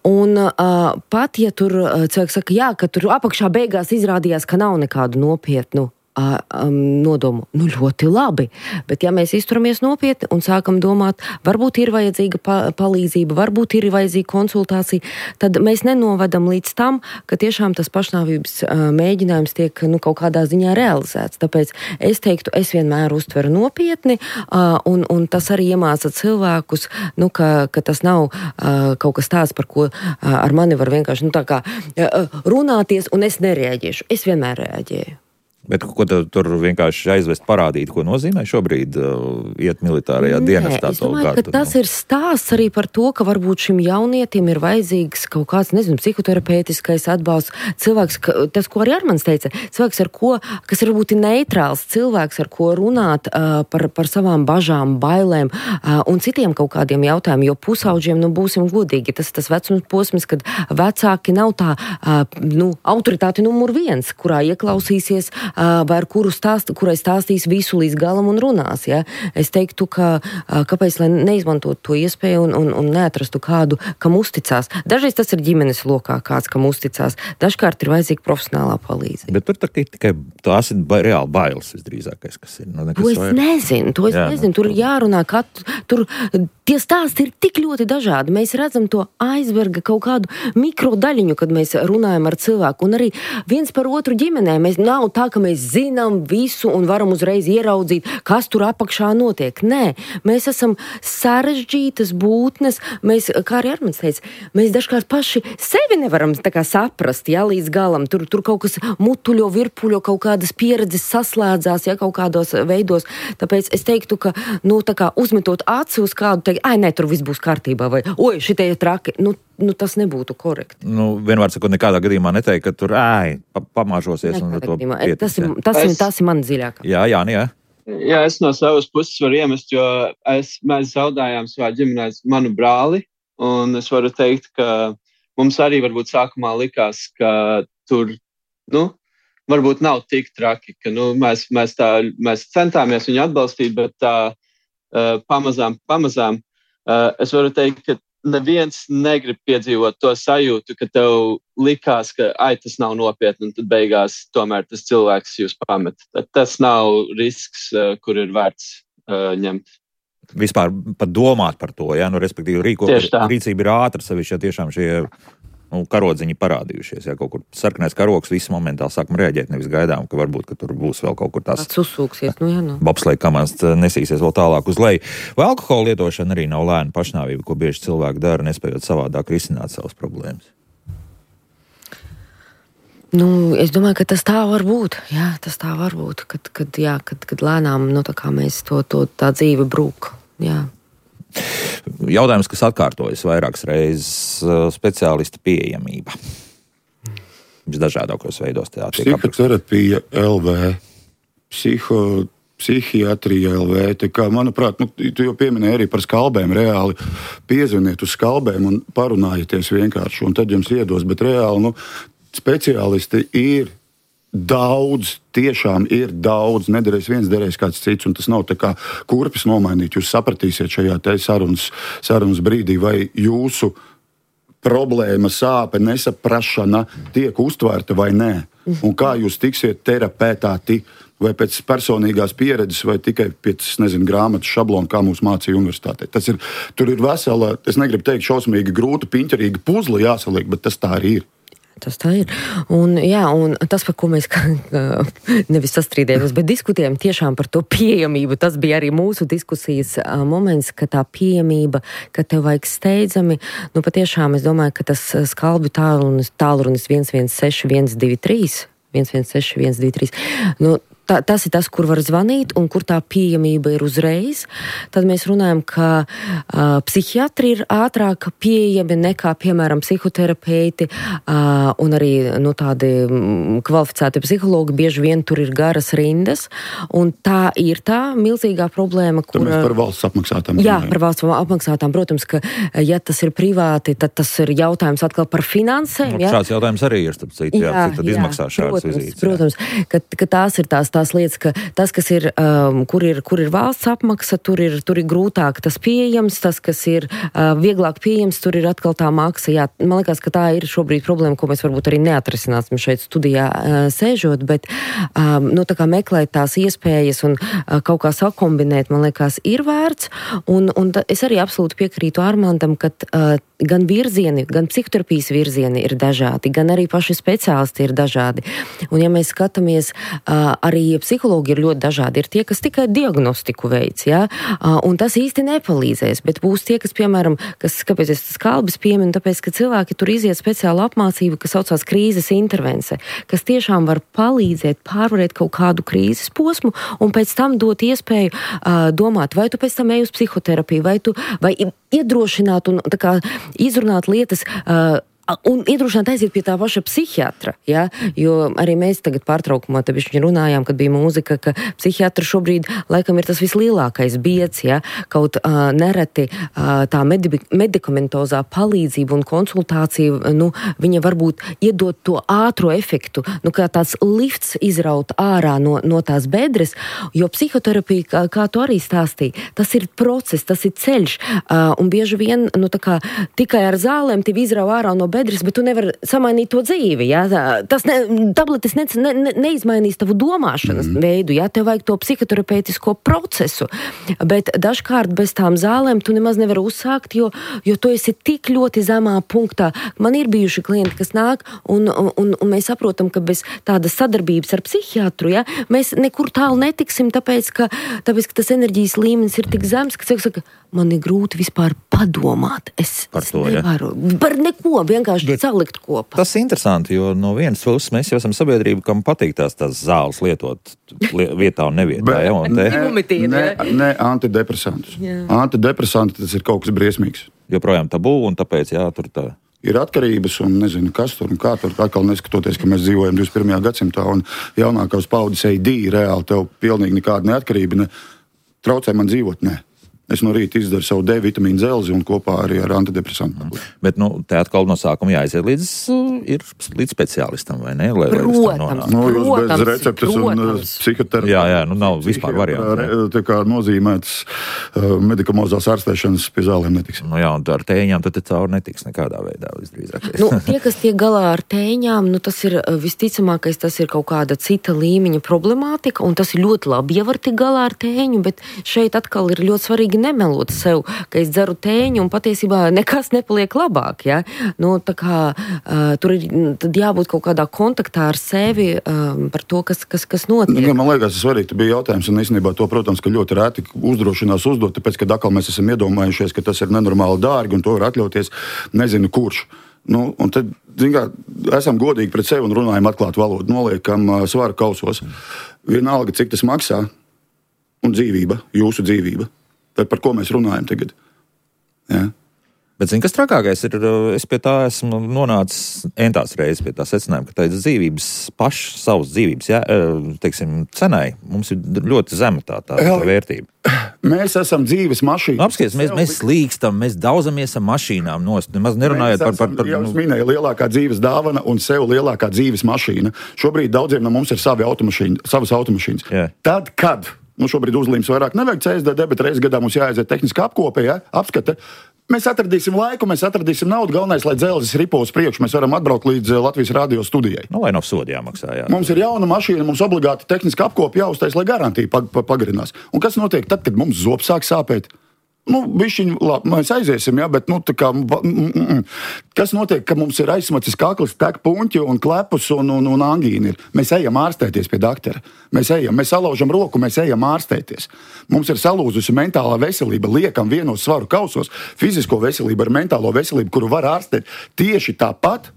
B: Un uh, pat, ja tur cilvēks saka, jā, ka tur apakšā beigās izrādījās, ka nav nekādu nopietnu Um, nodomu, nu ļoti labi, bet ja mēs izturamies nopietni un sākam domāt, varbūt ir vajadzīga pa- palīdzība, varbūt ir vajadzīga konsultācija, tad mēs nenovedam līdz tam, ka tiešām tas pašnāvības uh, mēģinājums tiek nu, kaut kādā ziņā realizēts. Tāpēc es teiktu, es vienmēr uztveru nopietni uh, un, un tas arī iemāca cilvēkus, nu, ka, ka tas nav uh, kaut kas tāds, par ko uh, ar mani var vienkārši nu, tā kā uh, runāties un es nereaģēšu. Es vienmēr reaģēju.
A: Bet ko tu, tur vienkārši aizvest parādīt, ko nozīmē šobrīd uh, iet militārajā dienestā?
B: Es domāju, ka tas ir stāsts arī par to, ka varbūt šim jaunietim ir vajadzīgs kaut kāds, nezinu, psihoterapeitiskais atbalsts. Cilvēks, ka, tas, ko arī Armans teica, cilvēks, ar ko, kas ir varbūt neitrāls, cilvēks, ar ko runāt uh, par, par savām bažām, bailēm uh, un citiem kaut kādiem jautājumiem, jo pusauģiem, nu, būsim godīgi, tas tas vecums posms, kad vecāki nav tā, uh, nu, autoritāte numur viens, kurā ieklausīsies vai ar kuru stāst, kurai stāstīs visu līdz galam un runās. Ja? Es teiktu, ka kāpēc, lai neizmantot to iespēju un, un, un neatrastu kādu, kam uzticās. Dažreiz tas ir ģimenes lokā kāds, kam uzticās. Dažkārt ir vajadzīga profesionālā palīdzība.
A: Bet tur tā, tikai tās ir ba- reāli bailes visdrīzākais, kas ir. No,
B: to es vairs nezinu, to es Jā, nezinu. Tur ir jārunā, ka tur tie stāsti ir tik ļoti dažādi. Mēs redzam to aizberga kaut kādu mikrodaļiņu, kad mēs runājam ar cilvēku. Un arī viens par otru ģimenē. Mēs nav tā, ka mēs zinām visu un varam uzreiz ieraudzīt, kas tur apakšā notiek. Nē, mēs esam sarežģītas būtnes. Mēs, kā arī Armans teica, mēs dažkārt paši sevi nevaram tā kā saprast, ja, līdz galam. Tur, tur kaut kas mutuļo, virpuļo, kaut kādas pieredzes saslēdzās, ja, kaut kādos veidos. Tāpēc es teiktu, ka, nu, tā kā uzmetot aci uz kādu, teikt, ai, nē, tur viss būs kārtībā, vai, oi, šitie ir traki. Nu, Nu, tas nebūtu korekti.
A: Nu, vienmēr sakot, nekādā gadījumā neteikt, ka tur ēj, pa, pamāžosies. Un to pietic,
B: tas, ir, tas, ir, tas ir man dziļākā.
A: Jā, jā, jā.
C: Jā, es no savas puses varu iemest, jo es, mēs zaudājām savā ģimenē manu brāli, un es varu teikt, ka mums arī varbūt sākumā likās, ka tur, nu, varbūt nav tik traki, ka, nu, mēs, mēs tā, mēs centāmies viņu atbalstīt, bet tā uh, pamazām, pamazām, uh, es varu teikt, ka neviens negrib piedzīvot to sajūtu, ka tev likās, ka ai, tas nav nopietni, un tad beigās tomēr tas cilvēks jūs pamet. Tad tas nav risks, kur ir vērts uh, ņemt.
A: Vispār pat domāt par to, ja, nu, respektīvi rīko, rīcība ir ātra, sevišķi, ja tiešām šie nu, karodziņi parādījušies, ja kaut kur sarkanais karoks, visi momentāli sākam reaģēt, nevis gaidām, ka varbūt, ka tur būs vēl kaut kur tās
B: uzsūksies, nu jā, nu.
A: bobsleja komandas nesīsies vēl tālāk uz leju. Vai alkohola lietošana arī nav lēna pašnāvība, ko bieži cilvēki dara, nespējot savādāk risināt savas problēmas?
B: Nu, es domāju, ka tas tā var būt, jā, tas tā var būt, kad, kad, jā, kad, kad lēnām, nu, tā kā mēs to, to tā dzīve brūk, jā.
A: Jautājums, kas atkārtojas vairākas reizes, speciālista pieejamība. Visdažādākos veidos tā tiek apraksta.
D: Psihoterapija L V, psiho, psihiatrija L V. Tā kā, manuprāt, nu, tu jau pieminēji arī par skalbēm. Reāli piezvaniet uz skalbēm un parunājieties vienkārši, un tad jums iedos. Bet reāli, nu, speciālisti ir daudz, tiešām ir daudz, nederēs viens, derēs kāds cits, un tas nav tā kā kurpes nomainīt. Jūs sapratīsiet šajā te sarunas, sarunas brīdī, vai jūsu problēma, sāpe, nesaprašana tiek uztvērta vai nē. Un kā jūs tiksiet terapetāti, vai pēc personīgās pieredzes, vai tikai pēc, nezinu, grāmatas šablona, kā mūs mācīja universitātē. Tas ir, tur ir vesela, es negribu teikt šausmīgi grūta, piņķerīga puzle jāsaliek, bet tas tā arī ir.
B: Tas tā ir. Un, jā, un tas, par ko mēs nevis sastrīdējamies, bet diskutējam tiešām par to pieejamību. Tas bija arī mūsu diskusijas moments, ka tā pieejamība, ka tev vajag steidzami, nu patiešām es domāju, ka tas skalbju tālrunis, tālrunis viens viens seši viens divi trīs, viens viens seši viens divi trīs, nu, Tā, tas ir tas, kur var zvanīt un kur tā pieejamība ir uzreiz. Tad mēs runājam, ka uh, psihiatri ir ātrāk pieejami nekā, piemēram, psihoterapeiti uh, un arī nu, tādi kvalificēti psihologi. Bieži vien tur ir garas rindas. Un tā ir tā milzīgā problēma, kur...
D: Tur mēs par valsts apmaksātām.
B: Jā, par valsts apmaksātām. Protams, ka ja tas ir privāti, tad tas ir jautājums atkal par finansēm.
A: Nu, šāds jautājums arī ir, starp citu, jā, jā, cik tad izmaksā šādas vizītes.
B: Protams, ka, ka tās ir tās tās lietas, ka tas, kas ir, um, kur ir, kur ir valsts apmaksa, tur ir, tur ir grūtāk tas pieejams, tas, kas ir uh, vieglāk pieejams, tur ir atkal tā maksa. Jā, man liekas, ka tā ir šobrīd problēma, ko mēs varbūt arī neatrisināsim šeit studijā uh, sēžot, bet um, nu, tā kā meklēt tās iespējas un uh, kaut kā sakombinēt, man liekas, ir vērts. Un, un ta, es arī absolūti piekrītu Armandam, ka uh, gan virzieni, gan psihoterapijas virzieni ir dažādi, gan arī paši speciālisti ir dažādi. Un ja mēs skatāmies, uh, arī psihologi ir ļoti dažādi. Ir tie, kas tikai diagnostiku veids, ja? uh, un tas īsti nepalīdzēs, bet būs tie, kas, piemēram, kas, kāpēc es tas kalbas pieminu, tāpēc, ka cilvēki tur iziet speciālu apmācību, kas saucās krīzes intervence, kas tiešām var palīdzēt pārvarēt kaut kādu krīzes posmu un pēc tam dot iespēju uh, domāt, vai tu pēc tam ej uz psihoterapiju, vai tu vai iedrošināt un tā kā izrunāt lietas uh, un iedrošināt aiziet pie tā paša psihiatra, ja? Jo arī mēs tagad pārtraukumā te bišķiņ runājām, kad bija mūzika, ka psihiatra šobrīd laikam ir tas vislielākais bieds, ja? Kaut uh, nereti uh, tā medi- medikamentozā palīdzība un konsultācija, nu, viņa varbūt iedot to ātro efektu, nu, kā tāds lifts izraut ārā no, no tās bedres, jo psihoterapija, kā, kā tu arī stāstīji, tas ir process, tas ir ceļš, uh, un bieži vien, nu, tā kā tikai ar zālēm tevi izrauj ārā no bedres, bet tu nevari samainīt to dzīvi, ja? Tas ne, tabletes ne, ne, neizmainīs tavu domāšanas mm. veidu, ja? Tev vajag to psihoterapeitisko procesu, bet dažkārt bez tām zālēm tu nemaz nevari uzsākt, jo, jo tu esi tik ļoti zemā punktā. Man ir bijuši klienti, kas nāk, un, un, un mēs saprotam, ka bez tādas sadarbības ar psihiatru, ja? Mēs nekur tālu netiksim, tāpēc, ka, tāpēc, ka tas enerģijas līmenis ir tik zems, ka cilvēks saka, man ir grūti vispār padomāt. Es,
A: par to,
B: es nevaru. Ja? Par neko, vienkārši bet salikt kopā.
A: Tas ir interesanti, jo no vienas puses mēs jau esam sabiedrība, kam patīk tās, tās zāles lietot li, vietā un nevietā.
D: Bet,
A: ja, un te...
D: ne, ne, ne antidepresantus. Jā. Antidepresanti tas ir kaut kas briesmīgs.
A: Joprojām tabū, un tāpēc jā, tur tā...
D: Ir atkarības un nezinu, kas tur un kā tur. Atkal neskatoties, ka mēs dzīvojam divdesmit pirmajā gadsimtā un jaunākās paudzes A D reāli tev pilnīgi nekāda neatkarība ne traucē man dzīvot, ne. Es no rīta izdaru savu D vitamīnu dzelzi un kopā arī ar antidepresantu.
A: Bet, nu, te atkal no sākuma jāaiziet līdz, ir, līdz speciālistam, vai ne? Lai,
B: protams,
D: nu, jūs
B: protams,
D: bez receptes
B: protams.
D: Un psihoterapijas.
A: Jā, jā, nu nav vispār variantu.
D: Tā kā nozīmētas uh, medikamozās ārstēšanas pie zālēm netiks.
A: Nu jā, un ar tēņām tad te cauri netiks nekādā veidā visdrīzākais.
B: Nu, tie, kas tiek galā ar tēņām, nu, tas ir visticamākais, tas ir kaut kāda cita līmeņa problemātika, un tas ir ļoti labi, ja var tik galā ar tēņu, bet šeit atkal ir ļoti svarīgi nemelot sev, ka es dzeru tēņu un patiesībā nekas nepaliek labāk, ja? Nu, tā kā uh, tur ir tad jābūt kaut kādā kontaktā ar sevi um, par to, kas, kas, kas notiek.
D: Nu, man liekas, tas svarīgi, tas bija jautājums, un īstenībā to, protams, ka ļoti rēti uzdrošinās uzdot, tāpēc, ka atkal mēs esam iedomājušies, ka tas ir nenormāli dārgi un to var atļauties nezinu kurš. Nu, un tad, zin kā, esam godīgi pret sevi un runājam atklāt valodu, noliekam uh, svaru kausos. Vienalga, cik tas maksā, un dzīvība, jūsu dzīvība. Tad par ko mēs runājam tagad? Ja?
A: Bet, zini, kas trakākais ir, es pie tā esmu nonācis entās reizes pie tā secinājuma, ka tā dzīvības, pašas savas dzīvības, ja, teiksim, cenai, mums ir ļoti zema tā, tā, tā vērtība.
D: Mēs esam dzīves mašīnas.
A: Nu, apskaties, mēs, mēs slīkstam, mēs daudzamies ar mašīnām nost, nemaz nerunājot par... par, par
D: jau
A: nu...
D: es minēju, lielākā dzīves dāvana un sev lielākā dzīves mašīna. Šobrīd daudziem no mums ir savi automašīni, savas automašīnas.
A: Jā.
D: Tad, kad... Nu, šobrīd uzlīmes vairāk nevajag C S D D, bet reizes gadā mums jāaiziet tehniskā apkope, ja? Apskate. Mēs atradīsim laiku, mēs atradīsim naudu. Galvenais, lai dzelzis ripo uz priekšu, mēs varam atbraukt līdz Latvijas radio studijai.
A: Nu, lai nav sodi jāmaksā, jā.
D: Mums ir jauna mašīna, mums obligāti tehniska apkope jāuztais, lai garantija pag pagarinās. Un kas notiek tad, kad mums zobs sāk sāpēt? Nu, bišķiņ, labi, mēs aiziesim, jā, bet, nu, tā kā, mm, mm, kas notiek, ka mums ir aizsmacis kakls, tek puņķi un klepus un, un, un angīni ir. Mēs ejam ārstēties pie doktora. Mēs ejam, mēs salaužam roku, mēs ejam ārstēties. Mums ir salūzusi mentālā veselība, liekam vienos svaru kausos, fizisko veselību ar mentālo veselību, kuru var ārstēt tieši tāpat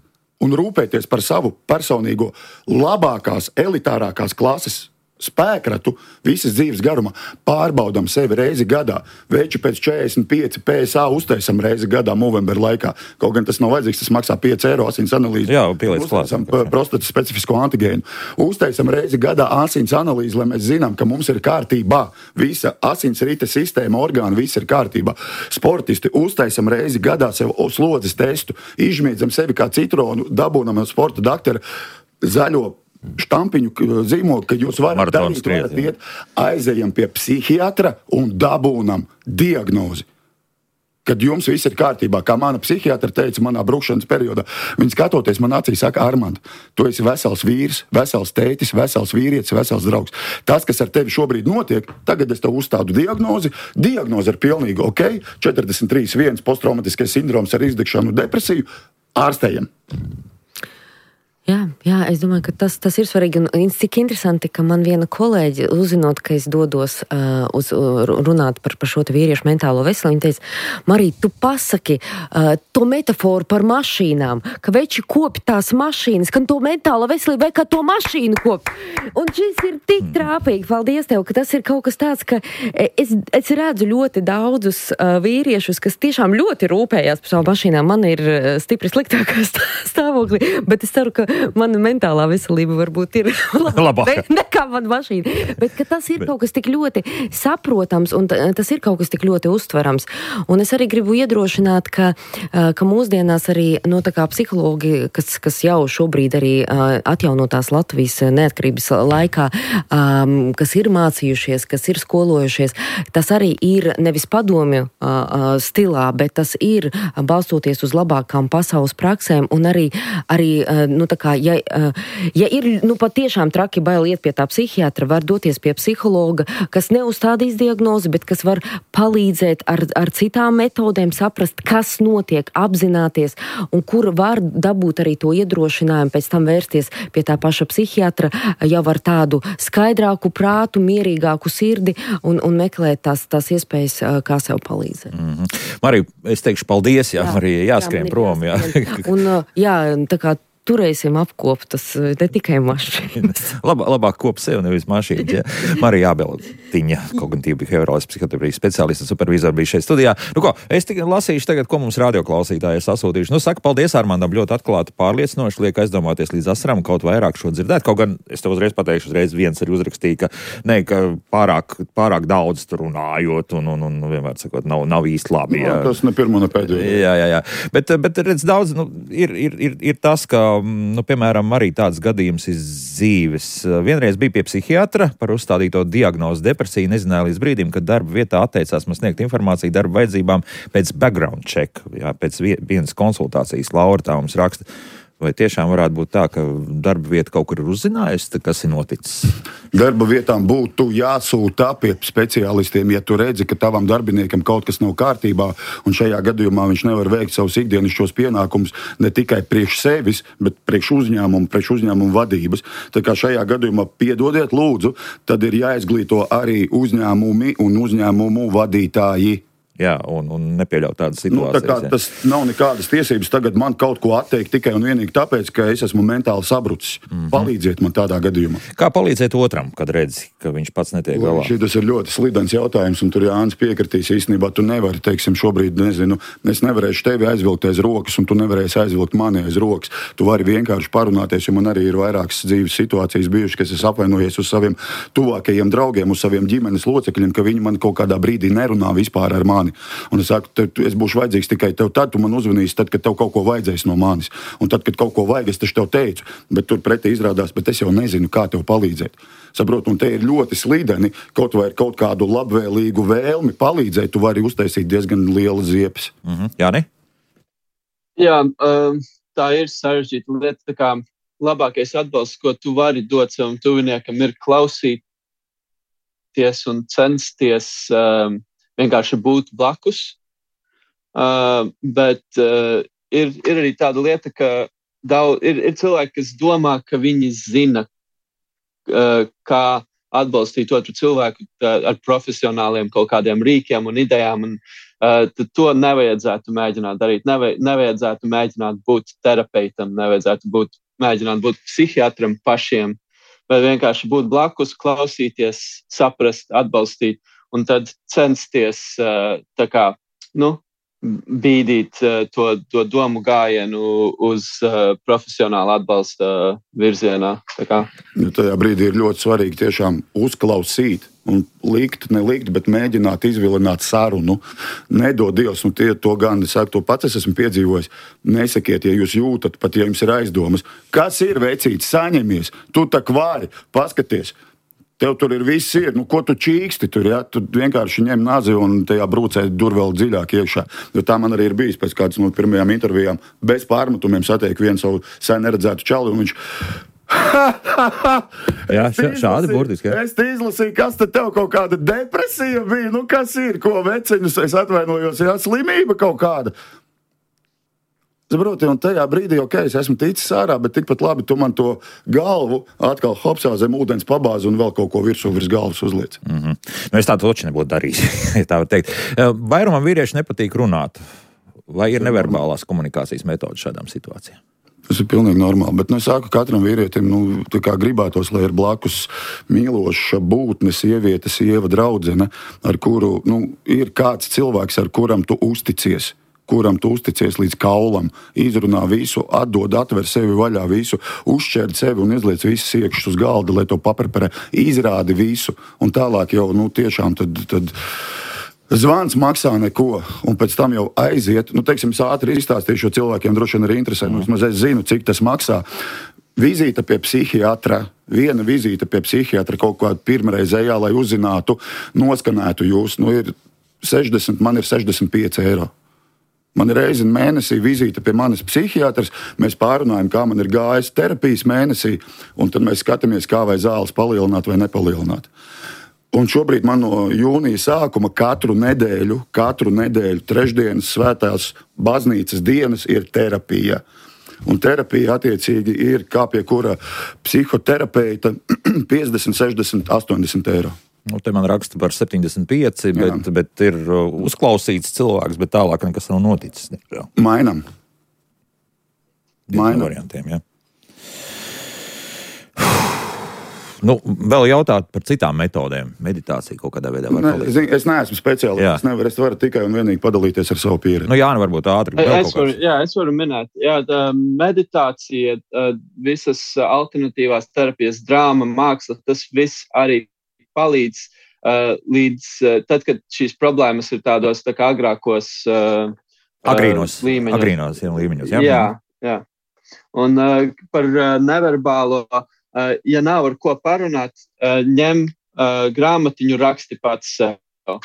D: un rūpēties par savu personīgo labākās, elitārākās klases spēkratu visas dzīves garumā. Pārbaudam sevi reizi gadā. Veči pēc četrdesmit pieci P S A uztaisam reizi gadā novembra laikā. Kaut gan tas nav vajadzīgs, tas maksā pieci eiro asins analīzi.
A: Jā, pieliec klāt.
D: Prostatas specifisko antigēnu. Uztaisam reizi gadā asins analīzi, lai mēs zinām, ka mums ir kārtībā. Visa asins rīta sistēma, orgāni, viss ir kārtībā. Sportisti uztaisam reizi gadā sev slodzes testu, izšmiedzam sevi kā citronu, dabūnam no sporta doktora zaļo štampiņu zīmogu, ka jūs varat
A: Maratons
D: darīt, varat
A: skriet,
D: iet, aizejam pie psihiatra un dabūnam diagnozi. Kad jums viss ir kārtībā, kā mana psihiatra teica manā brukšanas periodā, viņi skatoties man acīs saka, Armand, tu esi vesels vīrs, vesels tētis, vesels vīrietis, vesels draugs. Tas, kas ar tevi šobrīd notiek, tagad es tev uzstādu diagnozi, diagnozi ir pilnīgi ok, četrdesmit trīs viens posttraumatiskais sindroms ar izdegšanu depresiju, ārstējam.
B: Jā, jā, es domāju, ka tas, tas ir svarīgi. Un cik interesanti, ka man viena kolēģi, uzzinot, ka es dodos uh, uz uh, runāt par, par šo te vīriešu mentālo veselību, viņa teica, Marija, tu pasaki uh, to metaforu par mašīnām, ka veči kopi tās mašīnas, ka to mentālo veselību vai kā to mašīnu kopi. Un šis ir tik trāpīgi, paldies tev, ka tas ir kaut kas tāds, ka es, es redzu ļoti daudzus uh, vīriešus, kas tiešām ļoti rūpējās par savu mašīnām. Man ir uh, stipri sliktākā stāvoklī, bet es ceru, ka mana mentālā veselība varbūt ir labāka nekā mana mašīna. Bet ka tas ir Bet. kaut kas tik ļoti saprotams un tas ir kaut kas tik ļoti uztverams. Un es arī gribu iedrošināt, ka, ka mūsdienās arī no tā kā psihologi, kas, kas jau šobrīd arī atjaunotās Latvijas neatkarības laikā, kas ir mācījušies, kas ir skolojušies, tas arī ir nevis padomju stilā, bet tas ir balstoties uz labākām pasaules praksēm un arī, arī nu, tā kā, ja, ja ir nu, patiešām traki bail iet pie tā psihiatra, var doties pie psihologa, kas neuzstādīs diagnozi, bet kas var palīdzēt ar, ar citām metodēm saprast, kas notiek, apzināties un kur var dabūt arī to iedrošinājumu, pēc tam vērsties pie tā paša psihiatra, jau ar tādu skaidrāku prātu, mierīgāku sirdi un, un meklēt tās, tās iespējas, kā sev palīdzēt.
A: Mm-hmm. Marija, es teikšu paldies, jā, jā Marija, jāskrien jā, prom. Jā.
B: Un, jā, tā kā turēsim apkoptas, ne tikai mašīnas.
A: Lab, labāk kop sev, nevis mašīnas. Ja? Marija Ābeltiņa, kognitīva behaviorālas psihoterapijas speciālista, supervizora bija šeit studijā. Nu ko, es tikai lasīšu tagad, ko mums radioklausītāji sasūtījuši. Nu, saka, paldies Armandam, ļoti atklāti pārliecinoši, liek aizdomāties līdz asaram, kaut vairāk šo dzirdēt. Kaut gan es tev uzreiz pateikšu, uzreiz viens arī uzrakstīja, ka, ne, ka pārāk, pārāk daudz tur runājot un, un, un vienmēr sakot, nav, nav īsti labi.
D: Jā. No, tas ne pirmo, ne pēdējo.
A: Jā, jā, jā. Bet, bet redz, daudz, nu, ir, ir, ir, ir tas, ka nu, piemēram, arī tāds gadījums ir dzīves. Vienreiz bija pie psihiatra par uzstādīto diagnozi depresiju, nezināja līdz brīdim, kad darba vietā atteicās man sniegt informāciju darba vajadzībām pēc background check, jā, pēc vienas konsultācijas. Laura tā mums raksta. Vai tiešām varētu būt tā, ka darba vieta kaut kur ir uzzinājusi, kas ir noticis?
D: Darba vietām būtu jāsūta pie speciālistiem, ja tu redzi, ka tavam darbiniekam kaut kas nav kārtībā, un šajā gadījumā viņš nevar veikt savus ikdienišķos pienākumus ne tikai priekš sevis, bet priekš uzņēmumu, priekš uzņēmumu vadības. Tā kā šajā gadījumā piedodiet lūdzu, tad ir jāizglīto arī uzņēmumi un uzņēmumu vadītāji.
A: Jā, un, un nepieļaut tādas situācijas.
D: Nu, tā kā tas nav nekādas tiesības tagad man kaut ko atteikt tikai un vienīgi tāpēc, ka es esmu mentāli sabrucis. Mm-hmm. Palīdziet man tādā gadījumā.
A: Kā palīdzēt otram, kad redzi, ka viņš pats netiek galā?
D: Šis ir ļoti slidens jautājums, un tur Jānis piekritīs īstenībā. Tu nevari, teiksim, šobrīd, nezinu, es nevarēšu tevi aizvilkt aiz rokas, un tu nevarēsi aizvilkt mani aiz rokas. Tu vari vienkārši parunāties, jo man arī ir vairākas dzīves situācijas bijušas, kas es apvainojies uz saviem tuvākajiem draugiem, uz saviem ģimenes locekļiem, ka viņi man kaut kādā brīdī nerunā vispār ar mani. Un es saku, te, es būšu vajadzīgs tikai tev tad, tu man uzvanīsi, tad, kad tev kaut ko vajadzēs no manis. Un tad, kad kaut ko vajag, es taču tev teicu, bet tur pretī izrādās, bet es jau nezinu, kā tev palīdzēt. Saprot, un te ir ļoti slideni, kaut vai ar kaut kādu labvēlīgu vēlmi palīdzēt, tu vari uztaisīt diezgan liela ziepes.
A: Mm-hmm. Jāni?
C: Jā, um, tā ir sarežģīta lieta, tā kā labākais atbalsts, ko tu vari dot savam tuviniekam, ir klausīties un censties um, vienkārši būt blakus, uh, bet uh, ir, ir arī tāda lieta, ka daudz, ir, ir cilvēki, kas domā, ka viņi zina, uh, kā atbalstīt otru cilvēku uh, ar profesionāliem kaut kādiem rīkiem un idejām, un uh, to nevajadzētu mēģināt darīt, Neva, nevajadzētu mēģināt būt terapeitam, nevajadzētu būt, mēģināt būt psihiatram pašiem, vai vienkārši būt blakus, klausīties, saprast, atbalstīt, un tad censties tā kā, nu, bīdīt uh, to, to domu gājienu uz uh, profesionālu atbalsta virzienā. Tā kā.
D: Ja tajā brīdī ir ļoti svarīgi tiešām uzklausīt un likt, nelikt, bet mēģināt izvilināt sarunu. Nedod Dievs, un tie to gan, es saku, to pats es esmu piedzīvojis. Nesakiet, ja jūs jūtat, pat ja jums ir aizdomas. Kas ir, vecītis, saņemies? Tu tak vari, paskaties. Tev tur ir viss ir, nu ko tu čīksti tur, ja? Tu vienkārši ņem nazi un tajā brūcē dur vēl dziļāk iekšā. Jo tā man arī ir bijis pēc kādas no pirmajām intervijām. Bez pārmetumiem satiek vienu savu sen neredzētu čali, un viņš...
A: Jā, šādi burtiski. Ja?
D: Es te izlasīju, kas te tev kaut kāda depresija bija, nu kas ir, ko veceņus, es atvainojos, jā, slimība kaut kāda. Saproti, un tajā brīdī, ok, es esmu ticis ārā, bet tikpat labi tu man to galvu atkal hopsā zem ūdens pabāzi un vēl kaut ko virsū virs galvas uzliec.
A: Mm-hmm. Nu, es tā toči nebūtu darījis, ja tā var teikt. Vairumam vīrieši nepatīk runāt. Vai ir neverbālās komunikācijas metodas šādām situācijām?
D: Tas ir pilnīgi normāli, bet nu, es saku, katram vīrietim nu, tā kā gribētos, lai ir blakus mīloša būtne, sieviete, sieva, draudzene, ar kuru nu, ir kāds cilvēks, ar kuram tu uzticies. kuram tu uzticies līdz kaulam, izrunā visu, atdod, atver sevi vaļā visu, uzšķērd sevi un izliec visas iekšas uz galda, lai to papreparē, izrādi visu, un tālāk jau, nu, tiešām tad, tad zvans maksā neko, un pēc tam jau aiziet, nu, teiksim, es ātri izstāstīšu, jo cilvēkiem droši vien arī interesē, nu, es zinu, cik tas maksā. Vizīte pie psihiatra, viena vizīte pie psihiatra kaut kāda pirmreizējā, lai uzzinātu, noskanētu jūs, nu, ir sešdesmit, man ir sešdesmit pieci eiro. Man ir reizi mēnesī vizīte pie manis psihiatrs, mēs pārunājam, kā man ir gājis terapijas mēnesī, un tad mēs skatāmies, kā vai zāles palielināt vai nepalielināt. Un šobrīd man no jūnija sākuma katru nedēļu, katru nedēļu, trešdienas, svētās baznīcas dienas ir terapija. Un terapija attiecīgi ir kā pie kura psihoterapeita piecdesmit, sešdesmit, astoņdesmit eiro.
A: Nu, te man raksta par septiņdesmit pieci, bet, bet ir uzklausīts cilvēks, bet tālāk nekas nav noticis.
D: Mainam.
A: Mainam. Variantiem, ja. Nu, vēl jautāt par citām metodēm. Meditācija kaut kādā veidā var
D: ne,
A: palīdzēt.
D: Zin, es neesmu speciālists, es nevaru, es varu tikai un vienīgi padalīties ar savu pieredzi.
A: Nu, Jāni, varbūt ātri.
C: Es varu, jā, es varu minēt. Jā, tā meditācija, visas alternatīvās terapijas, drāma, māksla, tas viss arī palīdz uh, līdz uh, tad, kad šīs problēmas ir tādos tā kā agrākos uh,
A: agrīnos,
C: līmeņos.
A: Agrīnos jā, līmeņos. Jā,
C: jā. jā. Un uh, par uh, neverbālo, uh, ja nav ar ko parunāt, uh, ņem uh, grāmatiņu, raksti pats sev. Uh,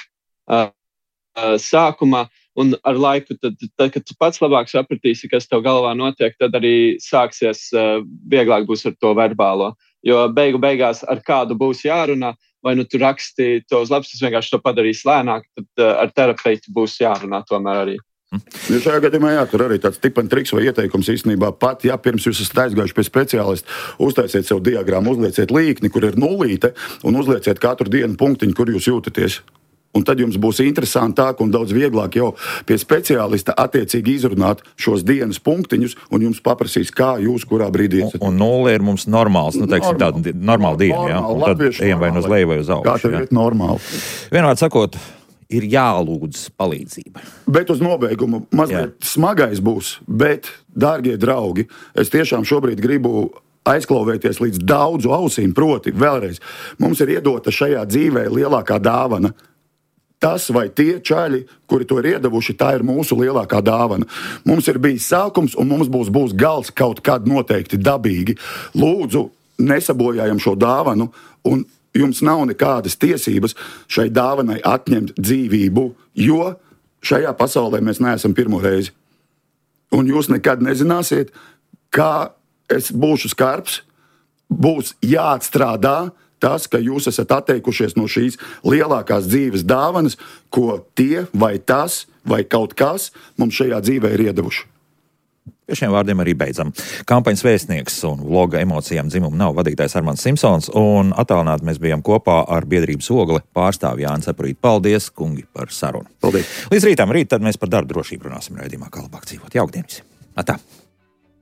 C: uh, sākumā un ar laiku, tad, tad, kad tu pats labāk sapratīsi, kas tev galvā notiek, tad arī sāksies, uh, vieglāk būs ar to verbālo. Jo beigu beigās ar kādu būs jārunā, vai nu tu raksti to uz lapas, tas vienkārši to padarīs lēnāk, tad uh, ar terapeitu būs jārunā tomēr arī.
D: Jo šajā gadījumā jā, tur arī tāds tipan triks vai ieteikums īstenībā pat, ja pirms jūs esat aizgājuši pie speciālista, uztaisiet sev diagrammu, uzlieciet līkni, kur ir nulīte, un uzlieciet katru dienu punktiņu, kur jūs jūtaties. Un tad jums būs interesantāk un daudz vieglāk jau pie speciālista attiecīgi izrunāt šos dienas punktiņus, un jums paprasīs, kā jūs kurā brīdī esat.
A: Un, un nulle ir mums normāls, nu teiksim, tāda normāla diena, jā? Un tad ejam vai uz leju vai uz augšu.
D: Kā tev ir normāli?
A: Vienmēr sakot, ir jālūdz palīdzība.
D: Bet uz nobeigumu mazliet jā. Smagais būs, bet, dārgie draugi, es tiešām šobrīd gribu aizklauvēties līdz daudzu ausīm, proti vēlreiz. Mums ir iedota šajā dzīvē lielākā dāvana. Tas vai tie čaļi, kuri to ir iedavuši, tā ir mūsu lielākā dāvana. Mums ir bijis sākums, un mums būs, būs gals kaut kad noteikti dabīgi. Lūdzu, nesabojājam šo dāvanu, un jums nav nekādas tiesības šai dāvanai atņemt dzīvību, jo šajā pasaulē mēs neesam pirmo reizi. Un jūs nekad nezināsiet, kā es būšu skarbs, būs jāatstrādā tas, ka jūs esat atteikušies no šīs lielākās dzīves dāvanas, ko tie vai tas vai kaut kas mums šajā dzīvē ir iedevuši.
A: Pie šiem vārdiem arī beidzam. Kampaņas vēstnieks un vloga Emocijām dzimumu nav vadītājs Armands Simpsons, un attālināti mēs bijām kopā ar biedrības Ogle pārstāvi Jānis Epurīt. Paldies, kungi, par sarunu.
D: Paldies.
A: Līdz rītam, rīt tad mēs par darba drošību runāsim raidījumā Kā labāk dzīvot. Jauktdienas. Atā.